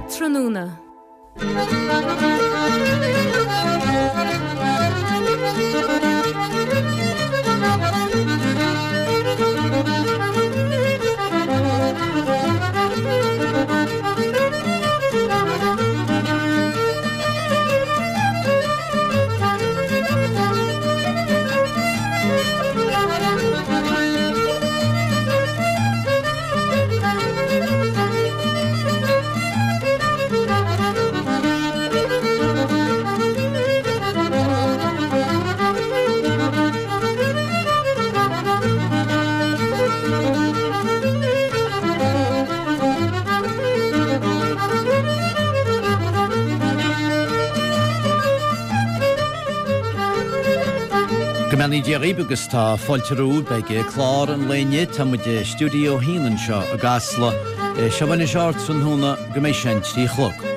Ardtráthnóna. Go mbeannaí Dia dhaoibh agus tá fáilte romhaibh ag clár an lae inniu. Tá muid i Stiúideo 1 anseo i gCasla. Seo anois Ardtráthnóna go mbeidh sé an 3 a chlog.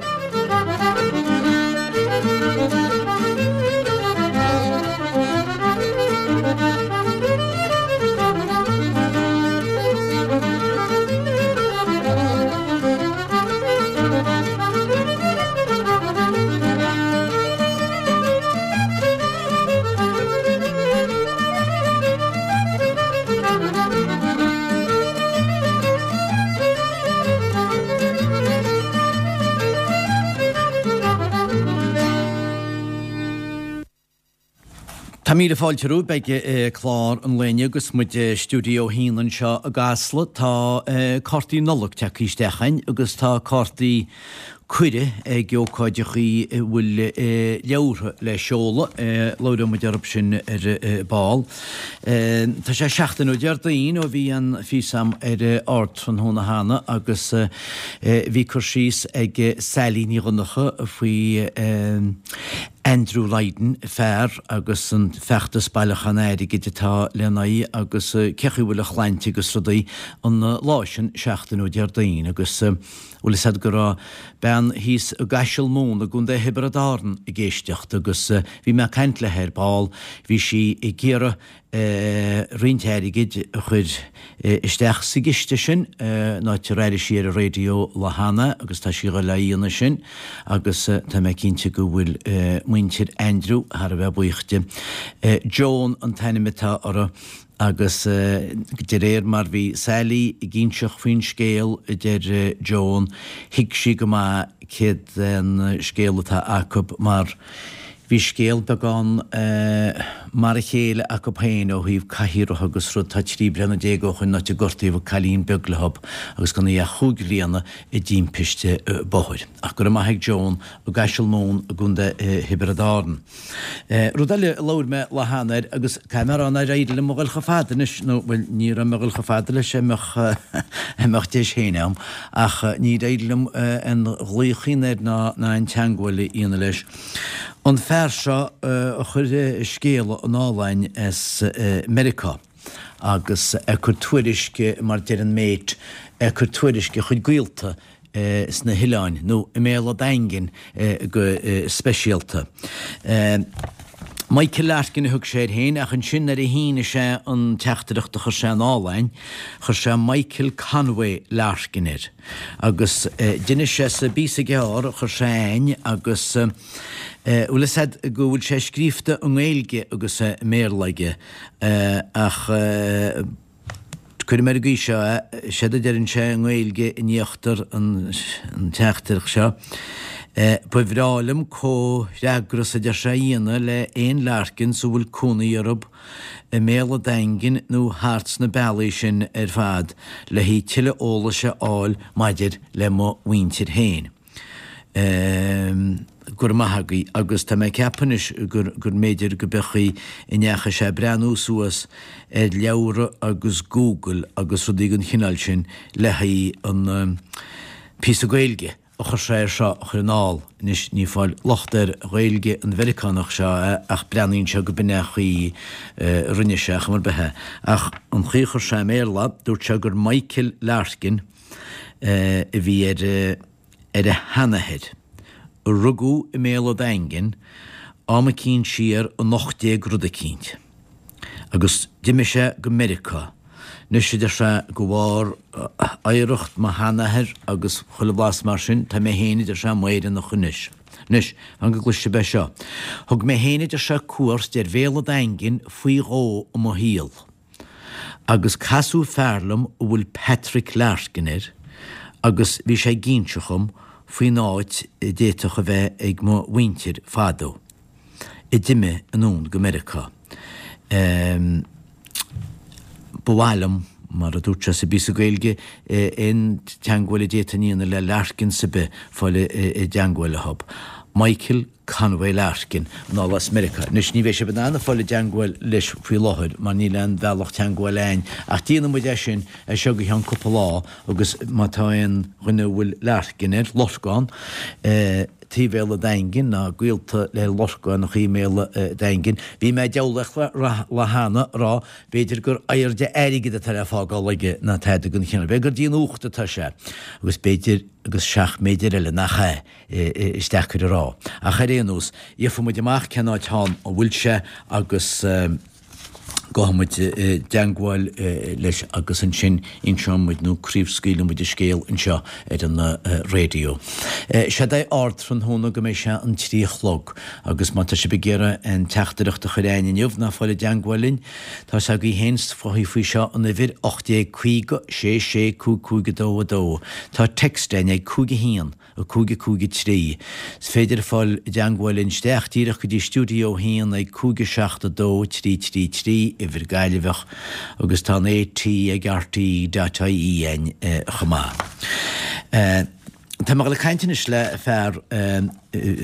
Tá míle fáilte romhaibh ag clár an lae inniu agus muid i Stiúideo 1 anseo i gCasla. Tá cártaí Nollag tagtha isteach againn agus tá cártaí cuireadh ag ócáideachaí a bhfuil leabhartha le seoladh. Labhróidh muid orthu sin ar ball. Tá sé seachtain ó Déardaoin ó bhí an phíosa a'm ar Ardtráthnóna cheana agus bhí cur síos ag Sally Ní Dhonncha faoi Andrew Lydon, fear agus an feachtas bailiúchán airgid atá lena aghaidh agus cé chaoi a bhfuil a shláinte agus rudaí an lá sin seachtain ó Déardaoin agus Bhfuil fhios a'd go raibh bean thíos i gCaiseal Mumhan i gContae Thiobraid Árann ag éisteacht agus bhí mé ag caint léi ar ball, bhí sí ag iarraidh roinnt airgid a chur isteach sa gciste sin, an áit ar airigh sí ar an raidió lá cheana agus tá sí a ghoil á dhéanamh sin agus tá mé cinnte go bhfuil muintir Andrew thar a bheith buíoch di. Joan an t-ainm atá uirthi. Agus de réir mar bhí Sally ag inseacht faoin scéal, a deir Joan, thuig sí go maith céard é an scéal atá acu mar bhí scéal beagán mar a chéile acu féin ó thaobh cathaoireacha agus rud. Tá 13 bliana ó shoin an áit a gortaíodh cailín beag leo agus gan í ach chúig bhliana i dtimpiste bóthair. Ach go raibh maith ag Joan i gCaiseal Mumhan i gContae Thiobraid Árann. Rud eile a labhair mé lá cheana air, agus caithfidh mé a rá nár éirigh liom a ghoil chomh fada anois, nó, bhuel, ní raibh mé a ghoil chomh fada leis a mbeadh, a mbeadh deis féin a'm, ach níor éirigh liom aon ghlaoch a dhéanamh air ná, ná aon teangmháil a dhéanamh leis. An fear seo a chuir scéala anall a'inn as Meiriceá, agus ag cur tuairisc, mar deir an mate, ag cur tuairisc a chuid gaolta sna hoileáin, nó i mBéal a' Daingin go speisialta. Michael Larkin a thug sé air féin, ach ansin nuair a shínigh sé an teachtaireacht a chuir sé anall a'inn, chuir sé Michael Conway Larkin air. Agus d'inis sé sa bpíosa gearr a chuir sé a'inn agus bhfuil fhios a'd go bhfuil sé scríofa i nGaeilge agus i mBéarla aige ach, Cuirfidh mé ar an gcaoi seo é, séard a deireann sé i nGaeilge in íochtar an teachtaireacht seo, Ba bhreá liom comhfhreagras a deir sé a dhéanamh le aon Larkins a bhfuil cónaí orthu i mBéal a' Daingin nó thart sna bealaí sin ar fad le haghaidh tuilleadh eolais a fháil maidir le mo mhuintir féin. Go raibh maith agaibh agus tá mé ag ceapadh anois gur gur mb'fhéidir go b'é an chaoi a ndeachaigh sé ag breathnú suas ar leabhra agus Google agus rudaí den chineál sin le haghaidh an píosa Gaeilge a chuir sé air seo a chur anall. Anois ní fáil locht ar Ghaeilge an Mheiriceánach seo ach breathnaíonn sé go b'in é an chaoi a rinne sé, chuma ar bith é. Ach an chaoi a chuir sé i mBéarla, dúirt sé gur Michael Larkin a bhí ar ar a sheanathair, a rugadh i mBéal a' Daingin am eicínt siar in 18 rud eicínt, agus d'imigh sé go Meiriceá. Anois, a deir sé, de bharr oidhreacht mo sheanathair agus chuile bhlas mar sin, tá mé féin, a deir sé, i m'Éireannach anois. Anois, fan go gcloisfidh sibh é seo. Thug mé féin, a deir sé, cuairt ar Bhéal an Daingin faoi dhó i mo shaol. Agus casadh fear liom a bhfuil Patrick Larkin air agus bhí sé ag inse dhom faoin áit a d'fhéadfadh a bheith ag mo mhuintir fadó, a d'imigh anonn go Meiriceá. Ba mhaith liom, mar a dúirt sé sa bpíosa Gaeilge, aon teangmháil a d'fhéadfainn a dhéanamh le Larkins ar bith, fáil i dteangmháil leo. Michael Conway Larkin, anall as Meiriceá. Anois, ní bheidh sibh in ann fáil i dteangmháil leis faoi láthair mar níl aon bhealach teangmháil a'ainn, ach déanfaidh muid é sin as seo go ceann cúpla lá agus má tá aon dhuine a bhfuil Larkin air, Lorcán, taobh Bhéal a' Daingin ná gaolta le Lorcánachaí i mBéal a' Daingin, bhí mé ag diabhlaíocht lá cheana a rá b'fhéidir gur airde airgid atá le fágáil aige ná tada den chineál, b'fhéidir gur dtí an uacht atá sé agus b'fhéidir agus seacht mb'fhéidir eile nach ea. Is deacair a rá. Ach ar aon nós, gheobhaidh muid amach cén áit a bhfuil sé agus gabhfaidh muid i dteangmháil leis agus ansin inseoidh muid nó craobhscaoilfidh muid an scéal anseo ar an raidió. Séard é ardtráthnóna go mbeidh sé an 3 a chlog agus má tá sibh ag iarraidh aon teachtaireacht a chur a'ainn inniu ná fáil i dteangmháil linn, tá 's agaibh féin faoi seo an uimhir 1850 6 6 5 5 2 2. Tá text a'ainn ag 5 1 5 5 3. Is féidir fáil i dteangmháil linn isteach díreach go dtí Stiúideo 1 ag 5 7 2 3 3 3, uimhir Gaillimheach, agus tá an AT ag rte dot ie a'ainn chomh maith. Tá mé ag dul ag caint anois le fear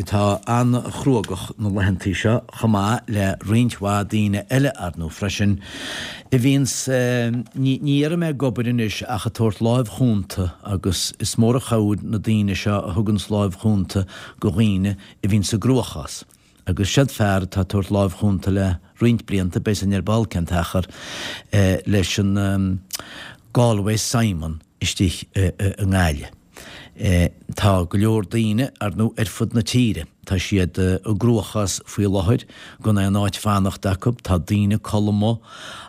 atá an-chruógach na laethantaí seo, chomh maith le roinnt mhaith daoine eile, ar ndóigh, freisin, a bhíonns, ní déarfaidh mé ag obair anois ach ag tabhairt láimh chúnta agus is mór an chabhair na daoine seo a thuganns láimh chúnta go dhaoine a bhíonns i gcruachás. Agus seod fear atá ag tabhairt láimh chúnta le roinnt blianta, beidh san ar ball cén t-achar, leis an Galway Simon istigh i nGaillimh. Tá go leor daoine, ar ndóigh, ar fud na tíre. Tá siad i gcruachás faoi láthair, gan aon áit fanacht acu, tá daoine ag codladh amuigh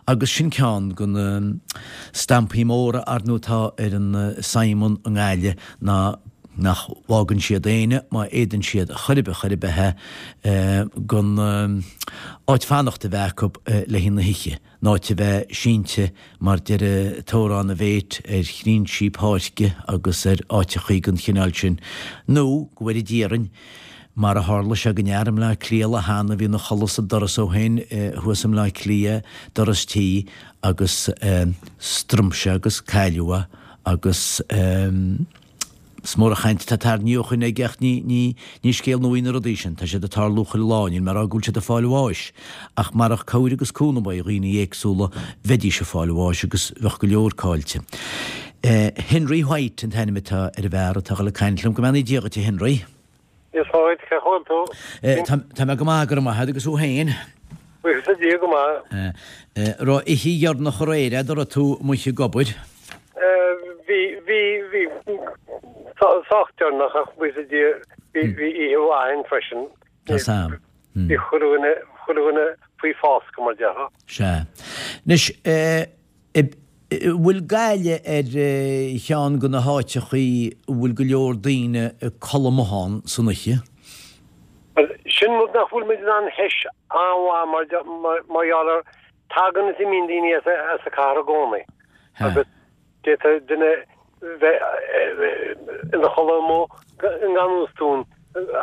agus sin ceann de na stampaí móra, ar ndóigh, atá ar an Simon i nGaillimh ná nach bhfágann siad éinne, má fhéadann siad chor ar bith chor ar bith é, gan áit fanacht a bheith acu le haghaidh na hoíche. An áit a bheith sínte, mar deir an t-amhrán a mhéit, ar thrinsí páirce agus ar áiteachaí den chineál sin, nó, go bhfóire Dia orainn, mar a tharla sé don fhear i mBleá Cliath lá cheana a bhí ina chodladh sa doras ó shin thuas i mBleá Cliath, doras tí, agus strom sé agus cailleadh é agus. Is mór an chaint atá tarraingthe ó shoin aige ach ní, ní, ní scéal nua í na rudaí sin. Tá siad ag tarlú chuile lá, níl mé ag rá go bhfuil siad ag fáil bháis, ach marach cabhair agus cúnamh ó dhaoine éagsúla bheidís ag fáil bháis agus bheadh go leor caillte. Henry White an t-ainm atá ar an bhfear atá ag dul ag caint liom. Go mbeannaí Dia dhuit a Henry. Dia 's fáilte, cén chaoi a bhfuil tú? Tá mé go maith, go raibh maith agat, agus thú féin? Buíochas le Dia, go maith. Raibh oíche dheireanach aréir a'd, an raibh tú amuigh ag obair? Bhí, bhí, bhí, sách deireanach ach buíochas le Dia, bhí, bhí oíche mhaith a'inn freisin. Tá 's a'm. Bhí chuile dhuine, chuile dhuine faoi foscadh mar déarfá. Sea. Anois, bhfuil Gaillimh ar cheann de na háiteachaí a bhfuil go leor daoine ag codladh amuigh ann san oíche? Bhuel, sin rud nach bhfuil muid in ann a thomhas an-mhaith mar, mar gheall ar, tagann is imíonn daoine as an chathair i gcónaí. Agus d'fhéadfadh duine bheith ina chodladh amuigh i ngan fhios dúinn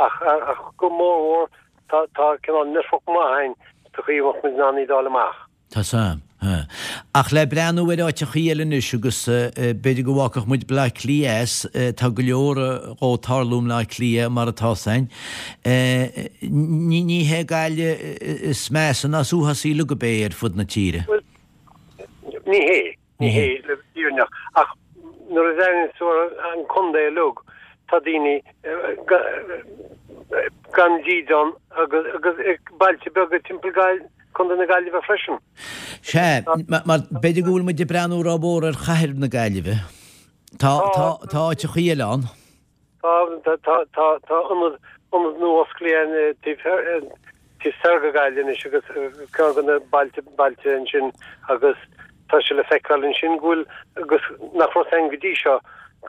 ach go mórmhór tá cineál network maith a'inn sa chaoi a mbeadh muid in ann iad a fháil amach. Tá 's a'm. Ach le breathnú ar áiteachaí eile anois agus b'fhéidir go bhfágfadh muid Bleá Cliath as, tá go leor dhó ag tarlú i mBleá Cliath mar atá 's a'inn. Ní hé Gaillimh is measa ná is uafásaí uilig ab é ar fud na tíre. Bhuel, ní hé. Ní hé, le fírinne, ach nuair a bhreathnaíonn tú ar an contae uilig, tá daoine gan dídean agus agus bailte beaga timpeall Contae na Gaillimhe freisin. Sea, mar b'fhéidir go bhfuil muid ag breathnú rómhór ar chathair na Gaillimhe. Tá tá áiteachaí eile ann. Tá tá tá tá ionad ionad nua osclaithe taobh taobh soir de Ghaillimh anois agus ceann de na bailte bailte ansin agus. Tá sé le feiceáil ansin go bhfuil, agus nach raibh ann go dtí seo,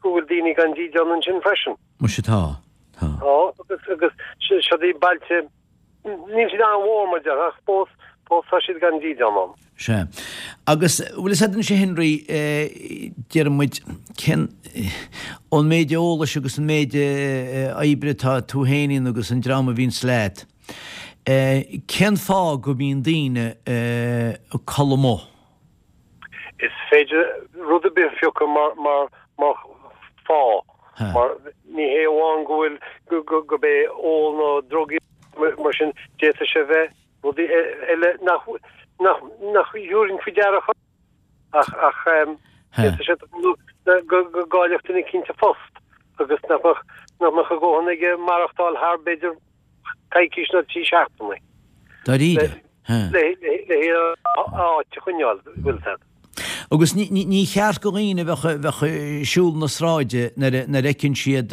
go bhfuil daoine gan dídean ansin freisin. Muise tá. Tá. Tá, agus, agus siod iad bailte, níl siad an-mhór mar déarfá, ach fós, fós tá siad gan dídean ann. Sea. Agus, bhfuil fhios a'd anois a Henry, déarfaidh muid, cén, ón méid eolais agus an méid oibre atá tú féin a dhéanamh agus an dream a bhíonns leat, cén fáth go mbíonn daoine ag codladh amuigh? Is féidir rud ar bith a phiocadh mar, mar, mar fáth. Mar ní hé amháin go bhfuil, go, go, gurb é ól nó drugaí mar sin, d'fhéadfadh sé bheith rudaí eile nach, nach, nach dtabharfainn faoi deara chor. Ach, ach, d'fhéadfadh sé go, go gcaillfeadh duine eicínt a phost agus nach mbeadh, nach mbeadh a dhóthain aige maireachtáil thar b'fhéidir coicís nó 3 seachtainí. Dáiríre? Le áit a choinneáil, bhfuil fhios a'd. Agus ní cheart go dhaoine a bheadh ag siúl na sráide nuair a fheiceann siad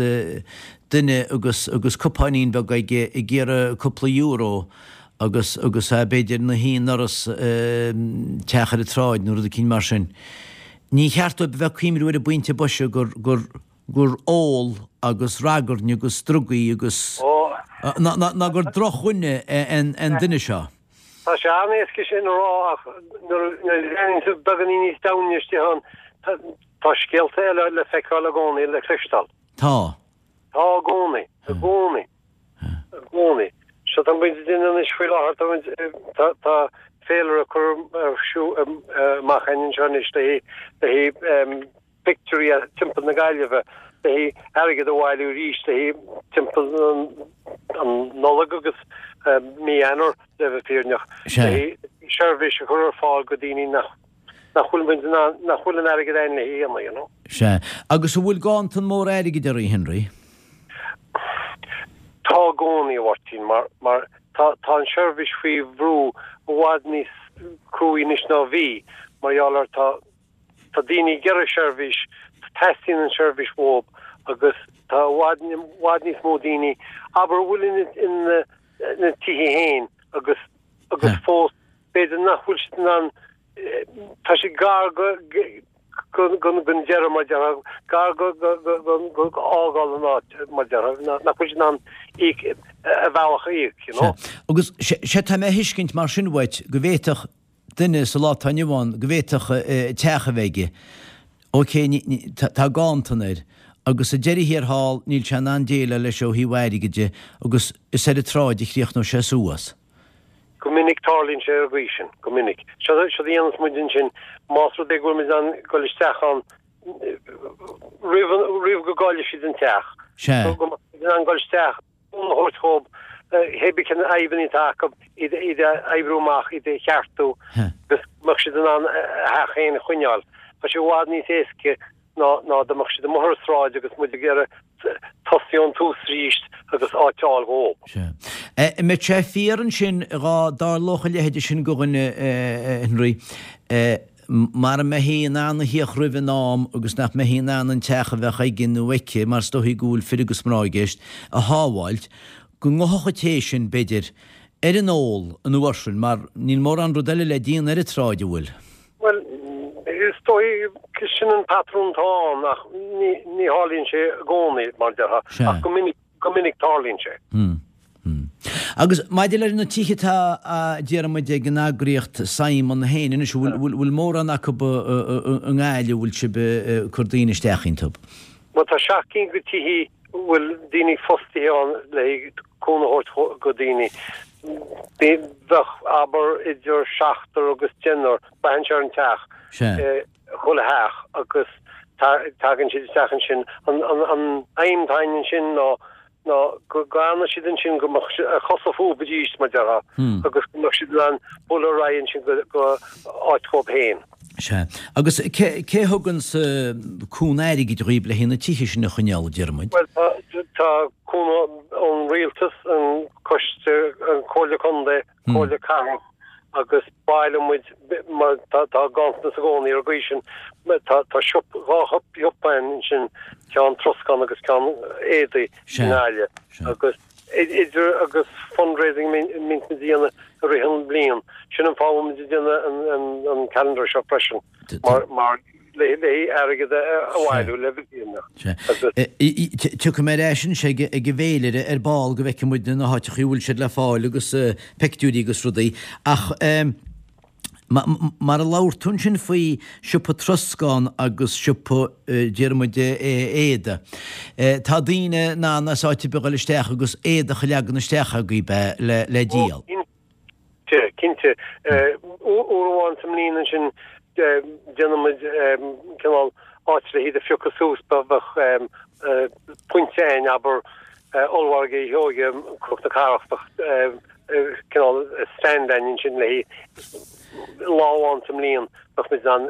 duine agus agus cupáinín beag aige ag iarraidh cúpla euro agus agus é b'fhéidir ina shuí i ndoras teach ar an tsráid nó rud eicínt mar sin. Ní cheart dóibh a bheith ag cuimhniú ar an bpointe boise gur gur gur ól agus ragairne agus drugaí agus ná gur drochdhuine é an duine seo. Tá sé an-éasca sin a rá ach nuair a bhreathnaíonn tú beagáinín níos domhaine istigh ann, tá scéalta eile le feiceáil i gcónaí, le cloisteáil. Tá. Tá i gcónaí, i gcónaí, i gcónaí. Seo tá muid ag déanamh anois faoi láthair, tá muid, tá, tá féilire curtha ar siúl amach againn anseo anois le haghaidh pictiúirí timpeall na Gaillimhe le haghaidh airgead a bhailiú arís le haghaidh timpeall an Nollaig agus mí Eanáir le bheith fírinneach, le haghaidh seirbhís a chur ar fáil go daoine nach nach bhfuil muid in ann, nach bhfuil an airgead againn le haghaidh you know. Sea. Agus an bhfuil ganntan mór airgid oraibh, Henry? Tá i gcónaí, a Mháirtín, mar, mar tá, tá an seirbhís faoi bhrú i bhfad níos cruaí anois ná bhí, mar gheall ar tá, Tá daoine ag iarraidh seirbhís, teastaíonn an seirbhís uathu agus tá i bhfad, i bhfad níos mó daoine, abair, a bhfuil ina dtithe féin agus, agus fós b'fhéidir nach bhfuil siad in ann, tá siad gar go, go, go, gon deireadh mar déarfá, gar go, go, go, go, go fhágáil an áit mar déarfá, nach bhfuil siad in ann íoc, a bhealach a íoc, you know. Sea. Agus, sea, tá mé a thuiscint mar sin uait go bhféadfadh duine sa lá atá inniu ann go bhféadfadh teach a bheith aige. Ok, tá ganntan air, agus sa deireadh thiar thall níl sé in ann déileáil leis ó thaobh airgid de agus is ar an tsráid a chríochnóidh sé suas. Go minic tarlaíonn sé ar an gcaoi sin, go minic. Seo a dhéanas muid ansin, más rud é go bhfuil muid in ann dul isteach ann roimh, roimh go gcaillfidh siad an teach, go mbeadh siad in ann dul isteach, a thabhairt dhóibh, hé bith cén fhadhbanna atá acu, iad a oibriú amach, iad a cheartú agus go mbeadh siad in ann a theach féin a choinneáil. Tá sé i bhfad níos éasca ná ná dá mbeadh siad amuigh ar an sráid agus muid ag iarraidh tosaí ón tús arís agus áit a fháil dhóibh. Sea. An mbeadh sé fíor ansin dhá dtarlódh a leithéide sin go dhuine, a Henry, Mara mbeifí in ann a thíocht roimh an am agus nach mbeifí in ann an teach a bheadh aige nó aici, mar is dóichí go bhfuil fir agus mná i gceist, a shábháilt, go ngabhfadh an té sin, b'fhéidir, ar an ól an uair sin, mar níl mórán rud eile le déanamh ar an tsráid, an bhfuil? Bhuel, is dóigh, sin an patrún atá ann ach ní tharlaíonn sé i gcónaí, mar a déarfá, ach go minic. Go minic tarlaíonn sé. Agus maidir leis na tithe atá, déarfaidh muid, ag an eagraíocht Simon féin anois, an bhfuil mórán acu i nGaillimh a bhfuil sibh ag cur daoine isteach iontu? Bhuel, tá 7 gcinn de tithe a bhfuil daoine fostaithe ann le cúnamh a thabhairt go daoine. Bheadh, abair, idir seachtar agus deichniúr, braitheann sé ar an teach. Chuile theach agus tagann siad isteach ansin. An aidhm atá againn ansin ná ná go bhfanadh siad ansin go mbeadh a chosa fúthu arís mar déarfá agus go mbeadh siad in ann bualadh ar aghaidh ansin go go áit dhóibh féin. Sea. Agus cé cé thugann cúnamh airgid dhaoib le haghaidh na tithe sin a choinneáil, a deir muid? Bhuel tá tá cúnamh ón rialtas, an coiste, an Comhairle Contae, Comhairle Cathrach agus bailíonn muid mar tá ganntanas i gcónaí ar an gcaoi sin. Tá tá siopa, dhá shiopa ansin, ceann troscán agus ceann éadaí i nGaillimh agus idir agus fundraising a mbíonn muid a dhéanamh i rith an bhliain. Sin an fáth a bhfuil muid ag déanamh an calendar seo freisin. Mar le airgead a bhailiú le bheith Sea. Tiocfaidh mé ar ais anois ag an bhféilire ar ball go bhfeicfidh muid na háiteachaí a bhfuil siad le fáil agus peictiúirí agus rudaí. Ach mar a labhair tú ansin faoi siopa troscán agus siopa, déarfaidh muid, éadaí. Tá daoine in ann as áit ar bith a dhul isteach agus éadach a leagan isteach agaibh le díol. Cinnte, cinnte. Uair amháin sa mbliain ansin déanann muid cineál áit le hiad a phiocadh suas, bheadh pointe againn, abair, Ollmhargadh Uí Sheoighe, Cnoc na Cathrach, bheadh cineál stand againn ansin le lá amháin sa mbliain bheadh muid in ann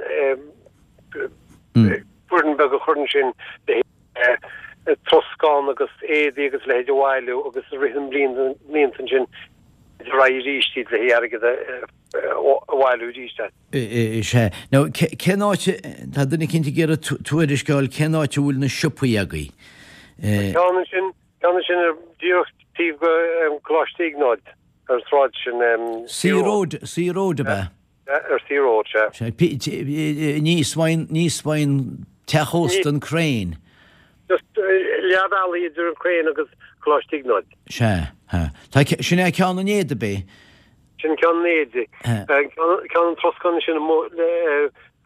foireann beag a chur ansin le troscán agus éadaí agus a leithéid a bhailiú agus i rith na mblianta ansin ar aghaidh arís iad le airgead a bhailiú arís. Sea. Now, cén áit, tá duine eicínt ag iarraidh tuairisc a fháil, cén áit a bhfuil na siopaí agaibh? Ceann ansin, ceann ansin ar díreach taobh go Coláiste Iognáid ar an sráid sin. Sea Road, Sea Road ab ea? Ar Sea Road, sea. Sea, aníos faoin teach ósta an Crane. Just leath bealaigh idir an Crane agus Coláiste Iognáid. Sea, sea. Tá, sin é ceann an éadaigh, ab é? Sin ceann an éadaigh. Ceann an troscáin sin amuigh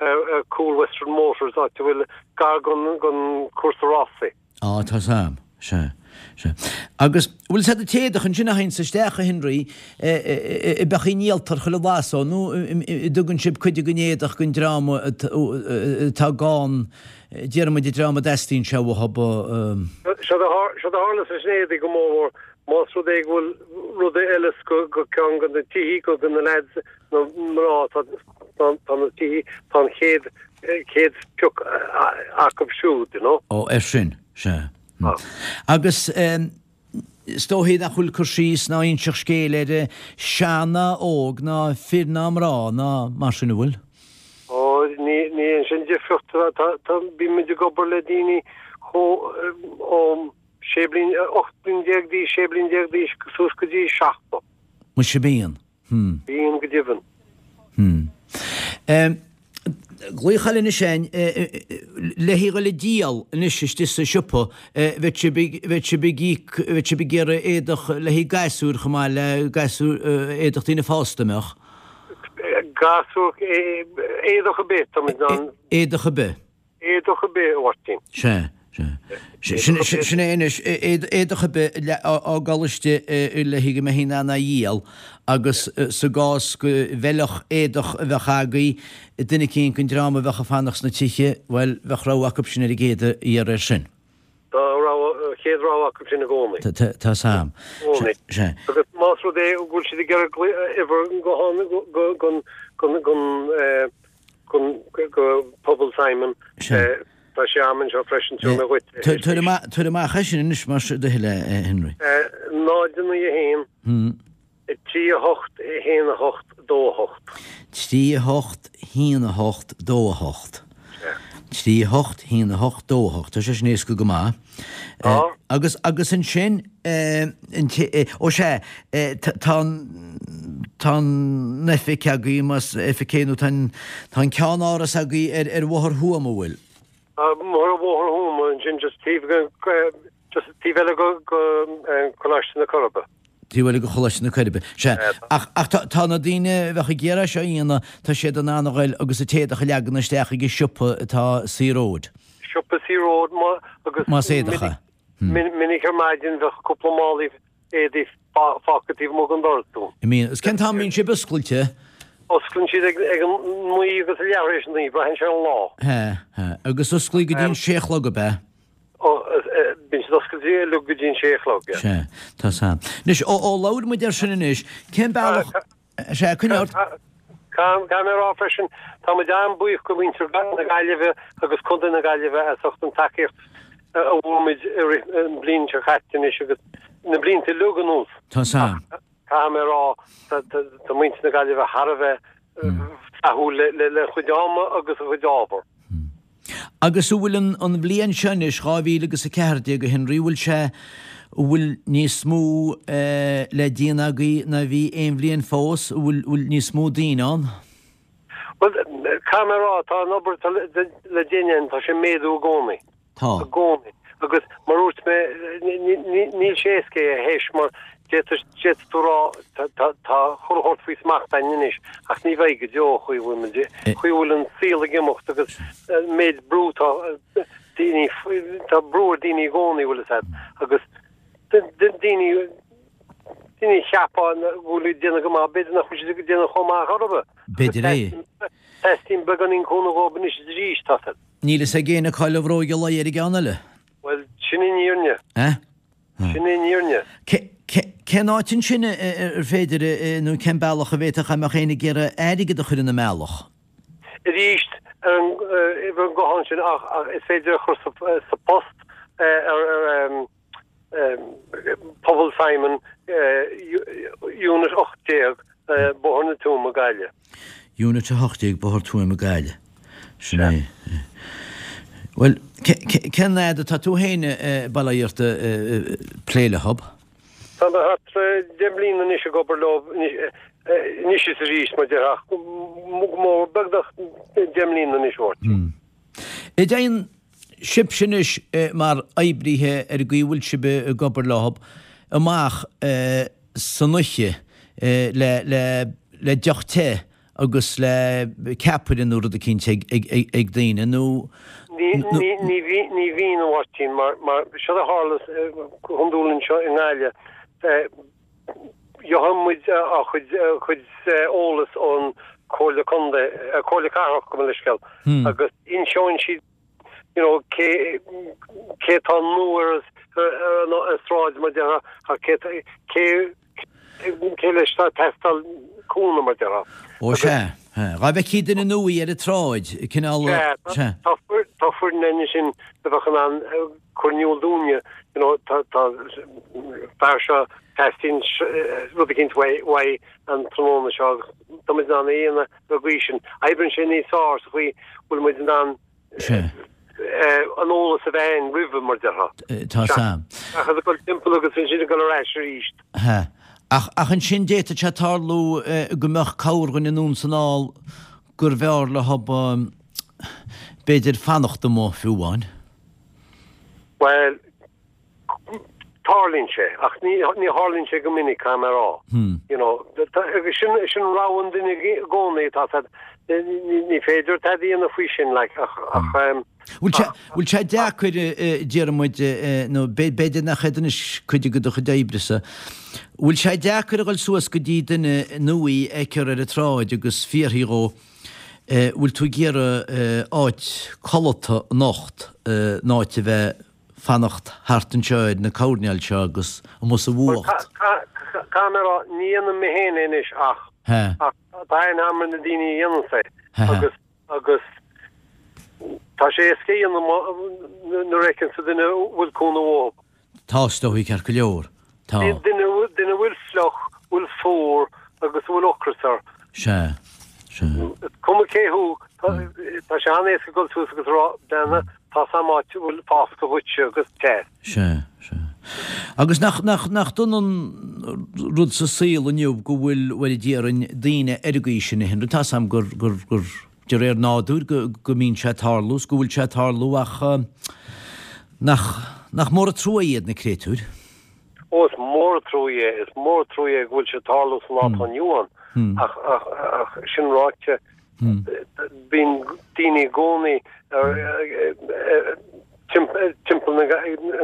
ar cúl Western Motors, áit a bhfuil gar don cúrsa rásaí. Á, tá 's a'm. Sea, sea. Agus, bhfuil 's a'd an t-éadach ansin a théanns isteach, a Henry, ab eadh a ndíoltar chuile lá so, nó an dtugann sibh cuid den éadach don dream atá gann, déarfaidh muid an dream a dteastaíonn sé uathu. Séard a tharlas leis an éadaí go mórmhór, más rud é go bhfuil rud a fheileas go ceann de na tithe, go na lads nó mná atá na tithe, tá an chéad chéad phioc acu siúd, you know. Ó, ar sin, sea. Agus is dóichí nach bhfuil cur síos ná inseacht scéil ar sean ná óg ná fir ná mná ná mar sin, an bhfuil? Ó, ní ní sin difriocht, tá tá bíonn muid ag obair le daoine chomh ó 16 bliain, 18 bliain d'aois, 16 bliain d'aois suas go dtí 70. Muise bíonn. Hmm. Bíonn go deimhin. Hmm. Glaoch eile anois againn, le haghaidh dhul ag díol anois istigh sa siopa, bheadh sibh ag, bheadh sibh ag íoc, bheadh sibh ag iarraidh éadach le haghaidh gasúir chomh maith le gasúir, éadach daoine fásta, an mbeadh? Gasúr, éadach ar bith, tá muid in ann. Éadach ar bith. Éadach ar bith, a Mháirtín. Sea, sea. Sin é anois, éadach ar bith a fhágáil istigh le haghaidh go mbeifí in ann é a dhíol agus sa gcás go bhfeilfeadh éadach a bheadh agaibh duine eicínt den dream a bheadh ag fanacht sna tithe, bhuel, bheadh rogha acu sin ar an gcéad iarraidh air sin. Tá rogha, chéad rogha acu sin i gcónaí. Tá 's a'm. I gcónaí. Sea. Agus más rud é go bhfuil siad ag iarraidh uimhir gutháin gon, gon, gon, go Pobal Simon. Tá sé a'm anseo freisin, tabharfaidh mé dhuit. Tabhair amach é sin anois más é do thoil é, a Henry. 0 9 1 3 8 1 8 2 8. 3 8 1 8 2 8. 3 8 1 8 2 8. Tá sé sin éasca go maith. Tá. Agus, agus ansin, ó sea, tá an, tá an oifig agaibh, más oifig é nó tá an, tá an ceannáras agaibh ar, ar Bhóthar Thuama, an bhfuil? Tá, ar Bhóthar Thuama ansin just taobh go, just taobh eile go, go Coláiste na Coiribe. Taobh eile go Choláiste na Coiribe. Sea. Ach, ach tá, tá na daoine a bheadh ag iarraidh seo a dhéanamh, tá siad in ann a ghoil agus an t-éadach a leagan isteach ag an siopa atá Sea Road. Siopa Sea Road, má, agus. Más éadach é. Minic, minic ar maidin bheadh cúpla málaí éadaí fágtha taobh amuigh den doras dúinn. I mean, agus cén t-am a mbíonn sibh oscailte? Osclaíonn siad ag, ag an naoi agus a leath tar éis a naoi, braitheann sé ar an lá. Sea, sea. Agus osclaíonn go dtí an sé a chlog, ab ea? Bíonn siad oscailte uilig go dtí an sé a chlog, yeah. Sea, tá 's a'm. Anois, ó, ó labhair muid air sin anois, cén bealach, sea, coinnigh ort. Caithfidh mé a rá freisin, tá muid an-bhuíoch go mhuintir na Gaillimhe agus Contae na Gaillimhe as ucht an tacaíocht a bhfuair muid i rith an bhliain seo caite anois agus na blianta uilig anuas. Tá 's a'm. Caithfidh mé a rá, tá muintir na Gaillimhe thar a bheith flaithiúil lena chuid ama agus a chuid ábhar. Agus an bhfuil an bhliain seo anois, 2014, a Henry, bhfuil sé, an bhfuil níos mó le déanamh agaibh ná bhí aon bhliain fós, an bhfuil níos mó daoine ann? Bhuel, caithfidh mé a rá, tá an obair atá le déanamh, tá sé ag méadú i gcónaí. Tá. I gcónaí. Agus mar a dúirt mé, níl sé éasca é a thomhas mar d'fhéadfadh tú rá tá chuile shórt faoi smacht againn anois ach ní bheidh go deo an chaoi a bhfuil muid, an chaoi a bhfuil an saol ag imeacht agus an méid brú tá daoine, tá brú ar daoine i gcónaí, bhfuil fhios agat, agus daoine, daoine a cheapfá go bhfuil ag déanamh go maith, b'fhéidir nach bhfuil siad ag déanamh chomh maith chor ar bith. B'fhéidir é. Teastaíonn beagáinín cúnamh dhóibh anois is arís, tá fhios agat. Níl fhios ag éinne cá bhfuil an bhróig a luí ar an gceann eile. Bhuel, sin an fhírinne. Eh? Sin an fhírinne. Cén áit ansin ar féidir, nó cén bealach a bhféadfadh dá mbeadh éinne ag iarraidh airgead a chur ina mbealach? Arís, ar an uimhir gutháin sin ach is féidir a chur sa post ar Pobal Simon, Unit 18, Bóthar na Tuaime, Gaillimh. Unit 18, Bóthar Tuaime, Gaillimh. Sin é. Bhuel, cén fhad atá tú féin, bail ó Dhia ort, plé leo? Tá mé thart 10 mbliana anois ag obair leo, anois is arís, mar déarfá, ach go mór, beagnach 10 mbliana anois, a Mháirtín. An dtéann sibhse anois mar oibrithe ar an gcaoi a bhfuil sibh ag obair leo amach san oíche le deoch te agus le ceapaire nó rud eicínt ag daoine nó. Ní bhíonn, a Mháirtín, mar seo a tharla go hiondúil anseo i nGaillimh. Gheobhann muid ár chuid eolas ón Comhairle Contae, Comhairle Cathrach, gabh mo leithscéal, agus inseoidh siad you know cé cé atá nua ar an sráid mar déarfá cé cé cé leis atá ag teastáil cúnamh mar déarfá. Ó sea, dhá bhfeicfí duine nua ar an tsráid, cineál, sea. Tá foireann ansin a bheadh in ann cur in iúl dúinne, you know, tá tá fear seo teastaíonn rud eicínt uaidh an tráthnóna seo agus tá muid in ann é a dhéanamh ar an gcaoi sin. Oibríonn sé níos fearr sa chaoi bhfuil muid in ann an eolas a bheith againn roimhe, mar déarfá. Tá 's a'm. Seachas ag dul timpeall agus ansin ag dul ar ais arís. Sea. Ach, ach ansin d'fhéadfadh sé tarlú go mbeadh corrdhuine anonn 's anall gurbh fhearr leo b'fhéidir fanacht amuigh fiú amháin. Bhuel, tarlaíonn sé, ach ní tharlaíonn sé go minic, caithfidh mé a rá. You know, agus sin, sin rogha an duine i gcónaí, tá 's a'd, ní féidir tada a dhéanamh faoi sin, like, ach, ach, ehm, Bhfuil sé, bhfuil sé deacair, déarfaidh muid, nó b'fhéidir nach é anois cuid de do chuid oibre-sa, bhfuil sé deacair a dhul suas go dtí duine nua a fheictear ar an tsráid agus fiafraí dhó, bhfuil tú ag iarraidh áit codlata anocht, in áit a bheith fanacht thart anseo ar na coirnéil seo agus amuigh sa bhfuacht. Caithfidh mé a rá, ní dhéanaim mé féin é anois ach tá aithne agam ar na daoine a dhéananns é agus agus tá sé éasca a dhéanamh nuair a fheiceann tú duine a bhfuil cúnamh uathu. Tá, is dóigh, ceart go leor. Tá. Duine duine a bhfuil fliuch, bhfuil fuar agus a bhfuil ocras air. Sea. Sea. Is cuma cé thú, tá sé an-éasca dul suas agus a rá, Beanna, tá 's a'm áit a bhfuil foscadh dhuitse agus teas. Sea. Sea. Agus nach, nach, nach dona an rud sa saol inniu go bhfuil, bhuel, déarfainn, daoine ar an gcaoi sin a Henry, tá 's a'm gur, gur, gur, de réir nádúir go, go mbíonn sé ag tarlú is go bhfuil sé ag tarlú ach nach, nach mór an trua iad na créatúir? Ó, is mór an trua é, is mór an trua é go bhfuil sé ag tarlú sa lá atá inniu ann. Ach, ach, ach sin ráite, bíonn daoine i gcónaí ar, timpeall na,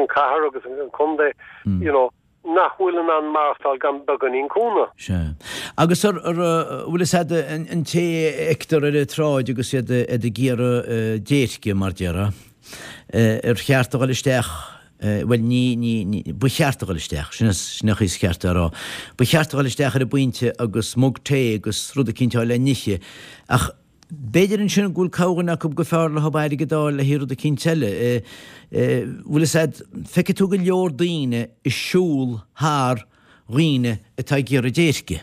an cathair agus an contae, you know, nach bhfuil in ann maireachtáil gan beagáinín cúnamh. Sea. Agus ar, ar, bhfuil fhios a'd, an té a fheictear ar an tsráid agus iad ag iarraidh déirce, mar déarfá, ar cheart a dhul isteach, bhuel, ní, ní, ní, ba cheart a dhul isteach, sin, sin an chaoi is ceart é a rá, ba cheart a dhul isteach ar an bpointe agus mug tae agus rud eicínt a fháil le n-ithe, ach B'fhéidir ansin go bhfuil corrdhuine acu gur fearr leo airgead a fháil le haghaidh rud eicínt eile. Bhfuil fhios a'd, feicfidh tú go leor daoine ag siúl thar dhaoine atá ag iarraidh déirce,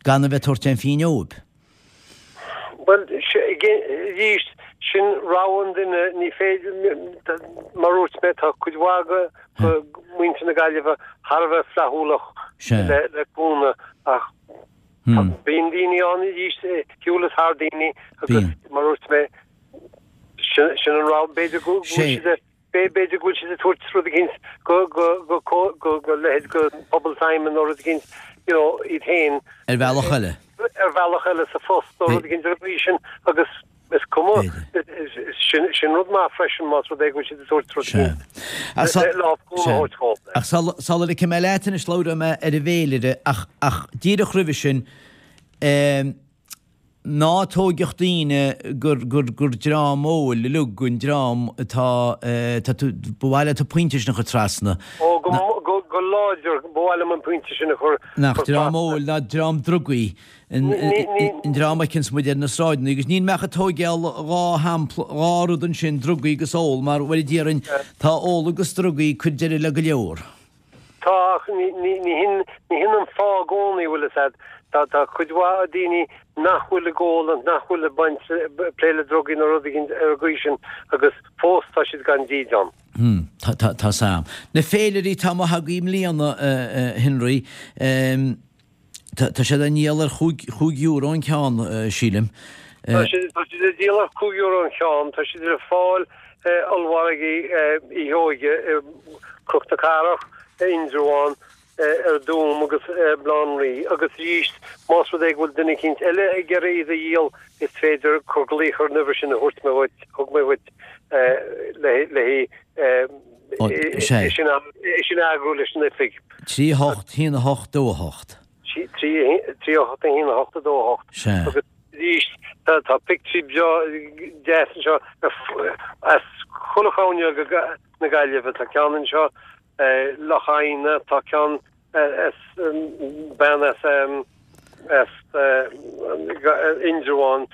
gan a bheith ag tabhairt aon phingin dhóibh. Bhuel, arís, sin rogha an duine, ní féidir, mar a dúirt mé, tá cuid mhaith de mhuintir na Gaillimhe thar a bheith flaithiúlach le cúnamh ach. Bíonn daoine ann arís shiúl is thar daoine agus mar a dúirt mé sin sin an rogha b'fhéidir go bhfuil siad a b'fhéidir go bhfuil siad ag tabhairt rud eicínt go go go go go leithéid go Pobal Simon nó rud eicínt you know iad féin. Ar bhealach eile. Ar bhealach eile sa phost nó rud eicínt ar an gcaoi sin agus is cuma sin sin rud maith freisin más rud é go bhfuil siad ag tabhairt rud eicínt lámh cúnamh a thabhairt dhóibh. Ach sula ligfidh mé leat anois labhróidh mé ar an bhféilire ach ach díreach roimhe sin Ná tóigeadh daoine gur, gur, gur dream óil uilig an dream atá, tá tú, ba mhaith leat an pointe sin a chur trasna. Ó, go, go, go láidir, ba mhaith liom an pointe sin a chur, Nach dream óil ná dream drugaí an, an dream a fheiceanns muid ar na sráideanna agus níl mé ach ag tóigeáil dhá shampla, dhá rud ansin, drugaí agus ól, mar, bhuel déarfainn, tá ól agus drugaí ag cur deireadh le go leor. Tá, ach ní hin an fáth i gcónaí, bhfuil fhios a'd. Tá, tá cuid mhaith daoine nach bhfuil ag ól agus nach bhfuil ag baint, plé le drugaí nó rud éigin ar an gcaoi sin agus fós tá siad gan dídean. Hmm, tá, tá, tá 's a'm. Na féilirí atá amuigh agaibh i mbliana, a Henry, Tá siad á ndíol ar chúig euro an ceann, sílim. Tá siad á díol ar chúig euro an ceann. Tá siad le fáil i ollmhargaí Uí Sheoige, i Cnoc na Cathrach, i Indreabhán, ar Dúm agus i mBaile Átha an Rí. Agus arís, más rud é go bhfuil duine eicínt eile ag iarraidh iad a dhíol, is féidir cur glaoch ar an uimhir sin a thabhairt mé dhuit, thug mé dhuit le haghaidh É sin a eagrú leis an oifig. 3 8 1 8 2 8. 3 8 1 8 2 8. Sea. Agus arís tá pictiúirí breá deas anseo as chuile chúinne na Gaillimhe. Tá ceann anseo Loch Adhna, tá ceann as bean as as Indreabhán.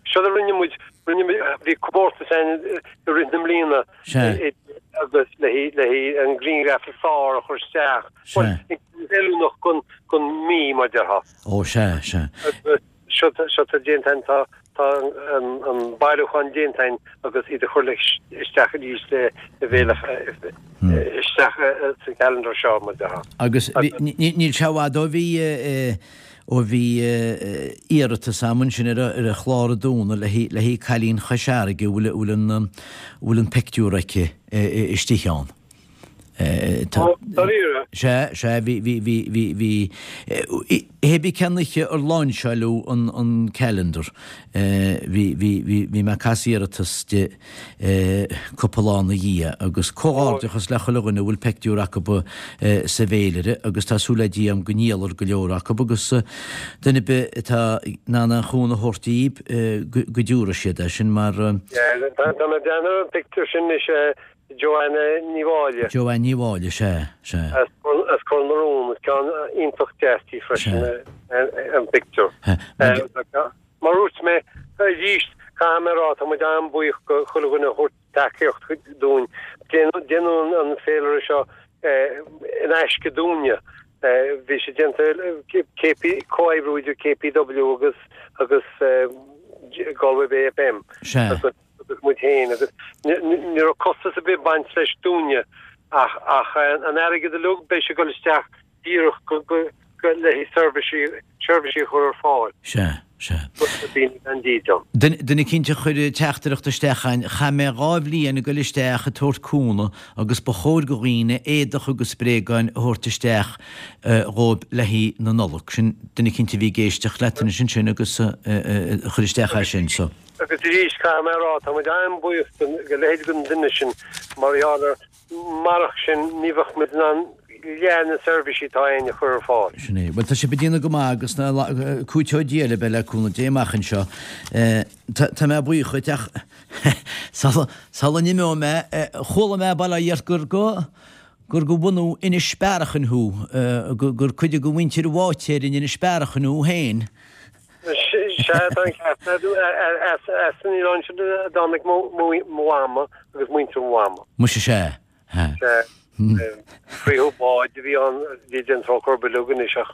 Seo a rinne muid, rinne muid, bhí comórtas ann i rith na mbliana agus le haghaidh an grianghraf is fearr a chur isteach. Oiriúnach don don mí mar déarfá. Ó sea, sea. Seo tá déanta againn, tá tá an bailiúchán déanta againn agus iad a chur isteach arís le bhéile isteach sa calendar seo mar déarfá. Agus níl sé i bhfad ó bhí ó bhí iarratas a'm ansin ar an chlár a dúnadh le haghaidh cailín Chois Fharraige a bhfuil an bhfuil an pictiúr aici istigh ann. Dáiríre? Sea, sea, bhí, bhí, bhí, bhí, bhí, hé bí cén oíche ar lainseáileadh an, an calendar, bhí, bhí, bhí, bhí mé ag casadh iarratas di cúpla lá ina dhiaidh agus comhghairdeachas le chuile dhuine a bhfuil peictiúr acu sa bhféilire agus tá súil le Dia agam go ndíolfar go leor acu agus duine ar bith atá in ann aon chúnamh a thabhairt díb go dtiúrfaidh siad é sin mar. Tá mé ag breathnú ar an bpictiúr sin anois Joanna Ní Mháille. Joanne Ní Mháille, sea, sea. As Cor na Rón, is ceann iontach deas di freisin an pictiúr. Mar a dúirt mé, arís, caithfidh mé a rá, tá muid an-bhuíoch go chuile dhuine a thabhairt tacaíocht dúinn. Déanadh an féilire seo in aisce dúinne. Bhí sé déanta KP, comhoibriú idir KPW agus agus Galway Bay FM. Sea. agus muid féin agus ní raibh costas ar bith ag baint leis dúinne ach ach an airgead uilig beidh sé ag dul isteach díreach go go go le haghaidh seirbhísí seirbhísí a chur ar fáil. Sea, sea. Do dhaoine gan dídean. Duine duine eicínt a chuir teachtaireacht isteach a'inn, chaith mé dha bhliain ag goil isteach ag tabhairt cúnamh agus ba chóir go dhaoine éadach agus bréagáin a thabhairt isteach dhóibh le haghaidh na Nollag. Sin duine eicínt a bhí ag éisteacht leat anois ansin agus a chuir isteach é sin so. Agus arís, caithfidh mé a rá, tá muid an-bhuíoch do leithéid den duine sin mar gheall ar, marach sin ní bheadh muid in ann leath na seirbhísí atá againn a chur ar fáil. Sin é. Bhuel, tá sibh ag déanamh go maith agus cúiteoidh Dia libh é le cúnamh Dé amach anseo. Tá mé buíoch dhuit ach sula n-imeoidh mé, chuala mé bail ó Dhia ort gur go gur go bhunadh Inis Bearachain thú, gur cuid de mhuintir Bháitéir in Inis Bearachain thú féin. Sea, tá an ceart agat. As an oileán sin a dtáinig mo mhama agus muintir mo mhama. Muise sea. Sea. Frítheadh báid a bhí ann, bhí déan trócaire orthu uilig anois ach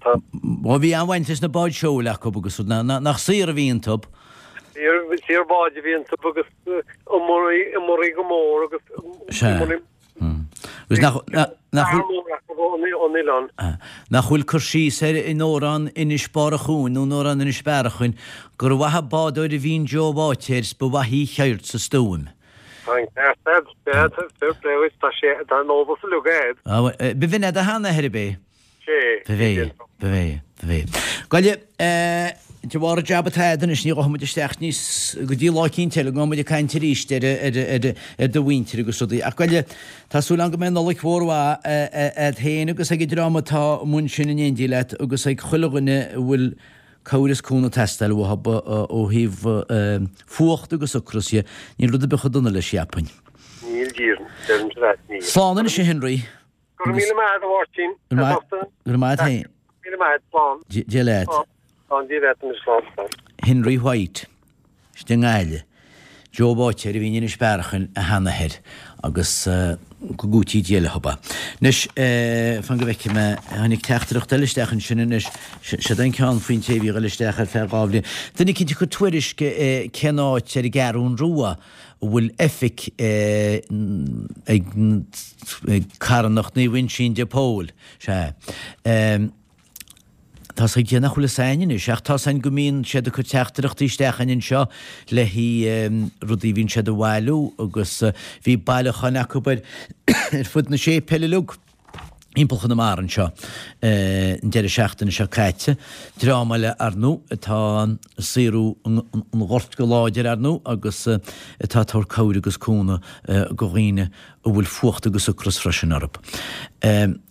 tá. Ó bhí an-bhaint leis na báid seoil acu agus rud, nach saor a bhí iontu? Saor báid a bhí iontu agus iomairí go mór agus. Sea. Agus nach. Nach. Fear mór acu ón. ón oileán. Nach bhfuil cur síos air in Amhrán Inis Bearachain nó in Amhrán Inis Bearachain gur mhaith an bádóir a bhí in Joe Bháitéir 's ba mhaith í cheird 's a stuaim. Tá an ceart a'd, fair play dhuit, tá sé, tá an eolas uilig a'd. B'in é do sheanathair, ab é? Sé, B'é, b'é, b'é. Gabhaile, de bharr an jab atá a'd anois, ní ghabhfaidh muid isteach níos, go dtí lá eicínt eile, go mbeidh muid ag caint arís ar, ar, ar, ar do mhuintir agus rudaí. Ach gabhaile, tá súil agam go mbeidh Nollaig mhór mhaith a'd féin agus ag an dream atá amuigh ansin in éindí leat agus ag chuile dhuine a bhfuil cabhair is cúnamh ag teastáil uathu ó thaobh fuacht agus ocras dhe. Níl rud ar bith chomh dona leis, cheapfainn. Níl, díreach, deirimse leat, níl. Slán anois a Henry. Go raibh míle maith agat, a Mháirtín. Go raibh maith agat féin. Míle maith agat, slán. Dia leat. Slán, Dia leat anois, slán, slán. Henry White, istigh i nGaillimh. Joe Bháitéir a bhí in Inis Bearachain, a sheanathair, agus go gcúití Dia leo. Anois, fan go bhfeicfidh mé, tháinig teachtaireacht eile isteach ansin anois, siod é an ceann faoin té a bhí ag dul isteach ar feadh 2 bhliain. Duine eicínt ag cur tuairisc cén áit ar an gCeathrún Rua a bhfuil oifig ag carthanacht Naomh Uinseann de Pól. Sea. Tá's ag Dia nach bhfuil fhios a'inn anois, ach tá's a'inn go mbíonn siad ag cur teachtaireachtaí isteach a'inn anseo le haghaidh rudaí a bhíonn siad a bhailiú agus bhí bailiúcháin acu ar ar fud na séipéil uilig thimpeall Chonamara anseo an deireadh seachtaine seo caite. Dream eile ar ndóigh atá ag saothrú an ghoirt go láidir ar ndóigh agus atá ag tabhairt cabhair agus cúnamh go dhaoine a bhfuil fuacht agus ocras freisin orthu.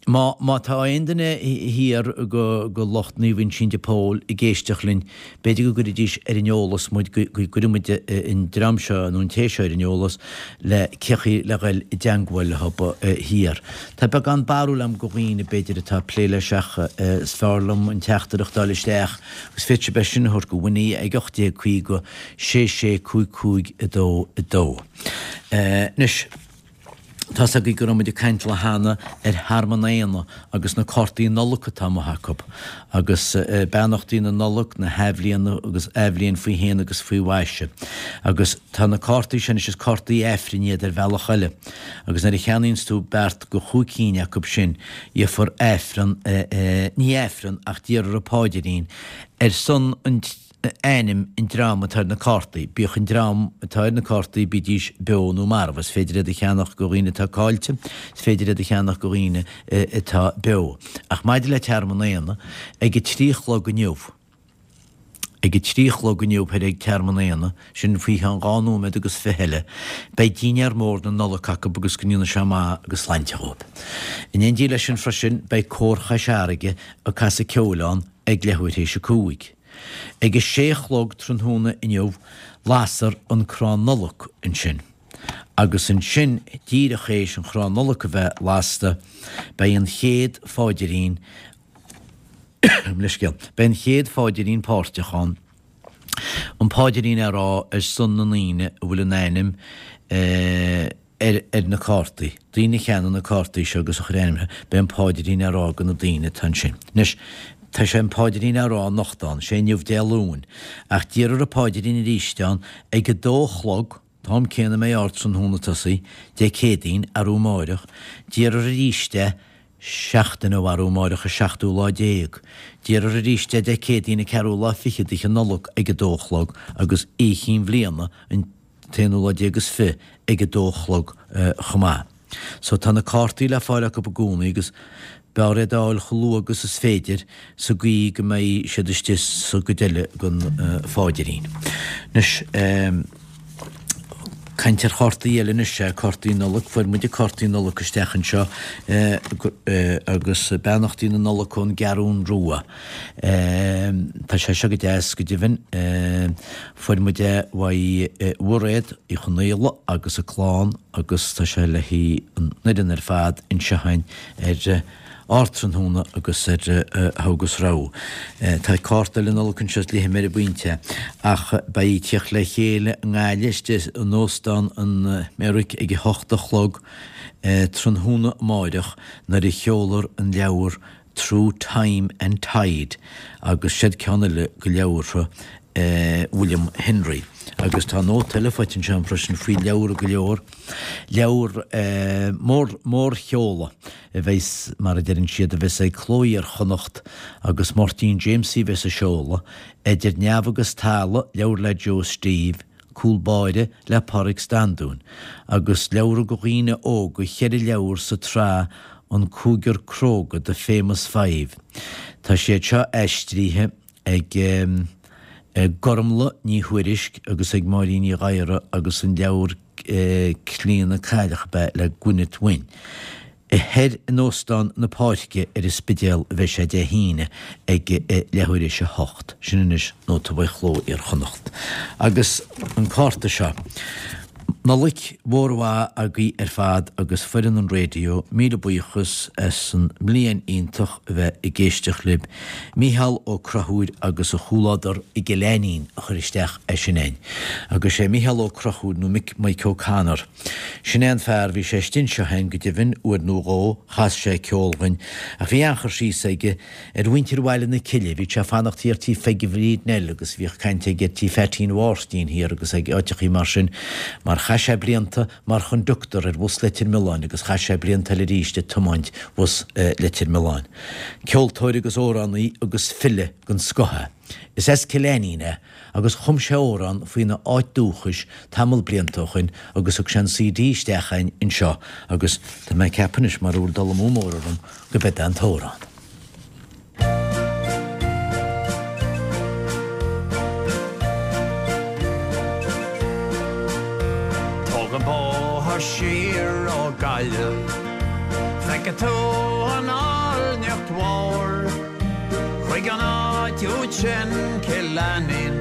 Má, má tá aon duine thiar go, go lucht Naomh Uinseann de Pól ag éisteacht linn, b'fhéidir go gcuirfidís ar an eolas muid, go, go gcuirfidh muid an dream seo nó an té seo ar an eolas le cé chaoi le dhul i dteangmháil leo thiar. Tá beagán barúil agam go dhaoine b'fhéidir atá ag plé leis ach is fearr liom an teachtaireacht a fháil isteach agus féadfaidh sibh é sin a thabhairt go Winnie ag 1850 66 55 2 2. Anois, tá's agaibh go raibh muid ag caint lá cheana ar Thearmann Éanna agus na cártaí Nollag atá amuigh acu, agus beannachtaí na Nollag, na hAthbhliana agus Athbhliain faoi shéan agus faoi mhaise. Agus tá na cártaí sin anois, is cártaí Aifrinn iad ar bhealach eile, agus nuair a cheannaíonns tú beart go chúig cinn acu sin, gheofar Aifreann, ní Aifreann ach déarfar an Páidrín ar son an, ainm an dream atá ar na cártaí, bíodh an dream atá ar na cártaí, bídís beo nó marbh. Is féidir iad a cheannach go dhaoine atá caillte, is féidir iad a cheannach go dhaoine atá beo. Ach maidir le Tearmann Éanna, ag a 3 a chlog inniu, ag a 3 a chlog inniu thoir ag Tearmann Éanna, sin faoi cheann dhá nóiméad agus fiche eile, beidh dinnéar mór na Nollag acu agus go ndéana sé maith agus sláinte dhóibh. In éindí leis sin freisin, beidh Cór Chois Fharraige ag casadh ceoil ann ag leathuair théis a cúig. Ag a sé a chlog tráthnóna inniu lasfar an crann Nollag ansin. Agus ansin díreach théis an chrann Nollag a bheith lasta beidh an chéad pháidrín, leithscéal, beidh an chéad pháidrín páirteach ann, an páidrín á rá ar son na ndaoine a bhfuil a n-ainm ar ar na cártaí. Daoine a cheannaigh na cártaí seo agus a chuir a n-ainm orthu, beidh an páidrín á rá go na daoine atá ansin. Anois, tá sé an páidrín á rá anocht ann, sé inniu Dé Luain, ach déarfar an páidrín arís ann ag a dó a chlog, t-am céanna a mbeidh Ardtráthnóna ag tosaí, Dé Céadaoin, arú amáireach, déarfar arís é seachtain ó arú amáireach an seachtú lá déag. Déarfar arís é Dé Céadaoin an ceathrú lá fichead d'fhiche Nollag ag a dó a chlog agus Oíche Chinn Bhliana an t-aonú lá déag is fi ag a dó a chlog chomh maith. So tá na cártaí le fáil acu i gcónaí agus b'fhearr iad a fháil chomh luath agus is féidir sa gcaoi go mbeidh siad istigh sa gcuid eile den pháidrín. Anois, caint ar chártaí eile anois, sea, cártaí Nollag. Fuair muide cártaí Nollag isteach anseo agus beannachtaí na Nollag ón gCeathrún Rua. Tá sé seo go deas, go deimhin. Fuair muid é uaidh Mhairéad Uí Chonaola agus a clann agus tá sé le haghaidh an fhoireann ar fad anseo againn ar Ardtráthnóna agus ar Togha agus Rogha. Tá cárta eile Nollag anseo is léifidh mé ar an bpointe é. Ach beidh tíocht le chéile i nGaillimh istigh in Óstán an Meyrick ag a hocht a chlog tráthnóna amáireach nuair a sheolfar an leabhar Through Time and Tide agus siod ceann eile go leabhartha William Henry. Agus tá nóta eile faighte anseo agam freisin faoi leabhar go leor, leabhar mór, mórsheoladh a bheas, mar a deireann siad, a bheas ag Cló Iar-Chonnacht agus Máirtín Jamesie a bheas ag seoladh, Idir Neamh agus Talamh, leabhar le Joe Steve, Cúl Báire le Pádraig Standún, agus leabhra do dhaoine óga, cheithre leabhar sa tsraith An Cúigear Cróga, The Famous Five. Tá siad seo aistríthe ag Gormlaith Ní Thuairisg agus ag Máirín Ní Ghadhra agus an leabhar Clíona Cailleach ab ea le Gwyneth Wynne. Thoir in Óstán na Páirce ar an Spidéal a bheidh sé Dé hAoine ag leathuair théis a hocht. Sin anois nóta uaidh Chló Iar-Chonnacht. Agus an cárta seo. Nollaig mhór mhaith agaibh ar fad agus foireann an raidió, míle buíochas as an mbliain iontach a bheith ag éisteacht libh. Mícheál Ó Conchúir agus a chomhluadar i gCill Ainnín a chuir isteach é sin a'inn. Agus sé Mícheál Ó Conchúir nó Mick Mike O'Connor. Sin é an fear, bhí sé istigh anseo a'inn go deimhin uair nó dhó, chas sé ceol dhuinn, ach bhí an-chur síos aige ar mhuintir Bhaile na Cille, bhíodh sé ag fanacht thiar tí Pheige Bhríd Nell agus bhíodh caint aige ar tí Pheaitín Mháirtín thiar agus ag áiteachaí mar sin, mar chaith sé blianta mar chonductor ar bhus Leitir Mealláin agus chaith sé blianta eile arís ag tiomáint bhus Leitir Mealláin. Ceoltóir agus amhránaí agus file den scoth é. Is as Cill Ainnín é agus chum sé amhrán faoina áit dúchais tamall blianta ó shoin agus thug sé an CD isteach a'inn anseo agus tá mé ag ceapadh anois mara bhfuil dul amú mór orm go b'é an t-amhrán. Tóg an bóthar siar ó Gaillimh, feicfidh tú an áilneacht mhór. Chuig an áit úd sin, Cill Ainnín,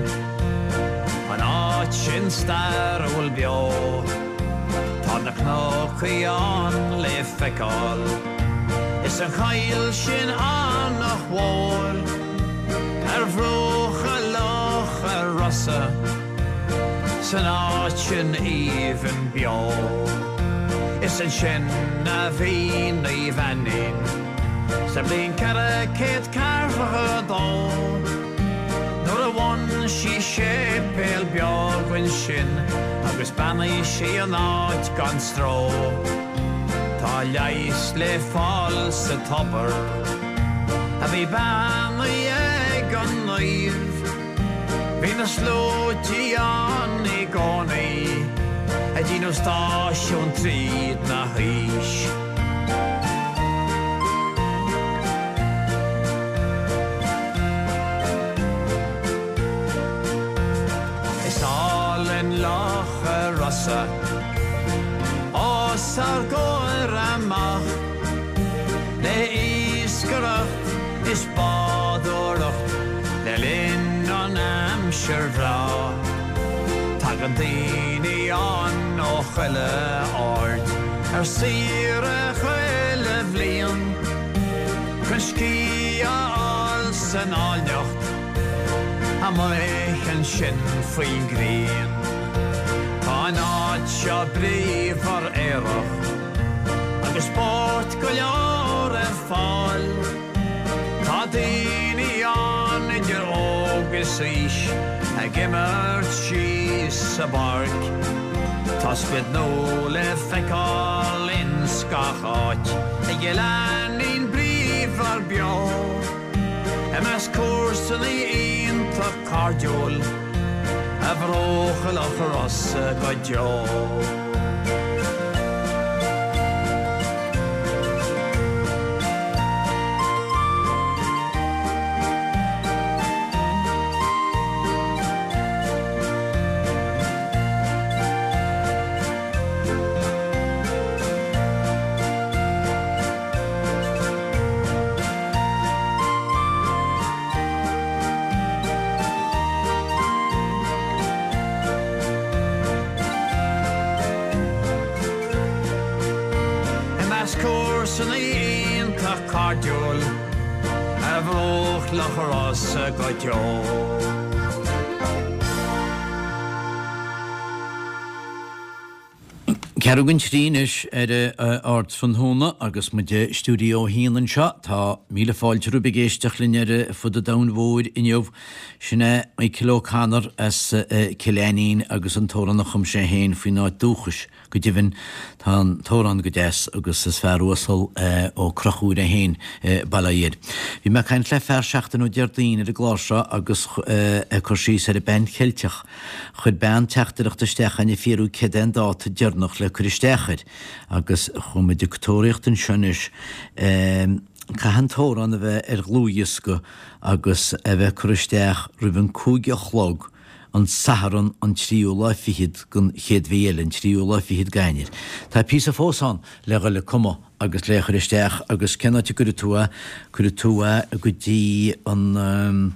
an áit sin stairiúil beo. Tá na cnocaí ann le feiceáil, is an choill sin an-mhór. Ar bhruacha Locha Rosa, san áit sin aoibhinn beo. Is ansin a bhí Naomh Ainnín. Sa bhliain 442, nuair a bhain sí séipéal beag ansin agus beannaigh sí an áit gan stró. Tá leigheas le fáil sa tobar a bhí beannaithe ag an naomh. Bhí na sluaití ann i gcónaí ag déanamh stáisiún tríd na haois. Is álainn Loch Rosa os ár gcomhair amach le iascaireacht is bádóireacht le linn an aimsir bhreá. Tagann daoine ann ó chuile aird ar saoire chuile bhliain chun scíth a fháil san áilneacht amuigh ansin faoin ngrian. Tá an áit seo bríomhar aerach agus spórt go leor ar fáil. Tá daoine ann idir óg is aois ag imirt síos sa bpáirc. Tá sprid nua le feiceáil ins gach áit i gCill Ainnín bríomhar beo. I measc comharsana iontach cairdiúil ar bhruacha Locha Rosa go deo. I measc comharsana iontach cairdiúil ar bhruach Locha Rosa go deo. Ceathrú don trí anois ar Ardtráthnóna agus muid i Stiúideo a hAon anseo. Tá míle fáilte romhaibh ag éisteacht linn ar fud an domhain mhóir inniu. Sin é Michael O'Connor as Cill Ainnín agus an t-amhrán a chum sé féin faoin áit dúchais. Go deimhin, tá an t-amhrán go deas agus is fear uasal Ó Conchúir é féin, bail ó Dhia air. Bhí mé ag caint le fear seachtain ó Déardaoin ar an gclár seo agus é ag cur síos ar an bPean Cheilteach. Chuir bean teachtaireacht isteach ag fiafraí céard é an dáta deireanach le cur isteach air agus chuaigh muid ag tóraíocht anseo anois. Caithfidh an t-amhrán a bheith ar dhlúthdhiosca agus a bheith curtha isteach roimh an cúig a chlog an Satharn an tríú lá fichead den chéad mhí eile, an tríú lá fichead d'Eanáir. Tá píosa fós ann le dhul ag cumadh agus le chur isteach agus cén áit a gcuirfidh tú é? Cuirfidh tú é go dtí an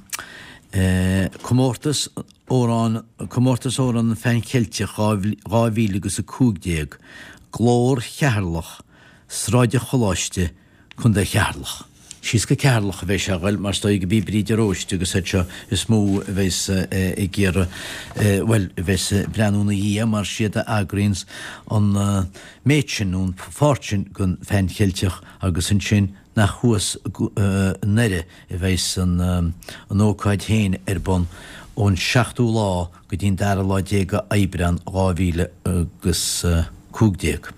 Comórtas Amhrán, Comórtas Amhrán an Phean Cheilteach 2000 agus 15, Glór Cheatharlach, Sráid an Choláiste, Contae Cheatharlach. Síos go Ceatharlach a bheidh sé a ghoil mar is dóigh go b'í Bríd de Róiste agus iad seo is mó a bheas ag iarraidh, bhuel, a bheas ag breathnú ina dhiaidh mar siad a eagraíonns an méid sin nó an pháirt sin den Phean Cheilteach agus ansin nach thuas i nDoire a bheas an ócáid féin ar bun ón seachtú lá go dtí an dara lá déag de Aibreán 2015.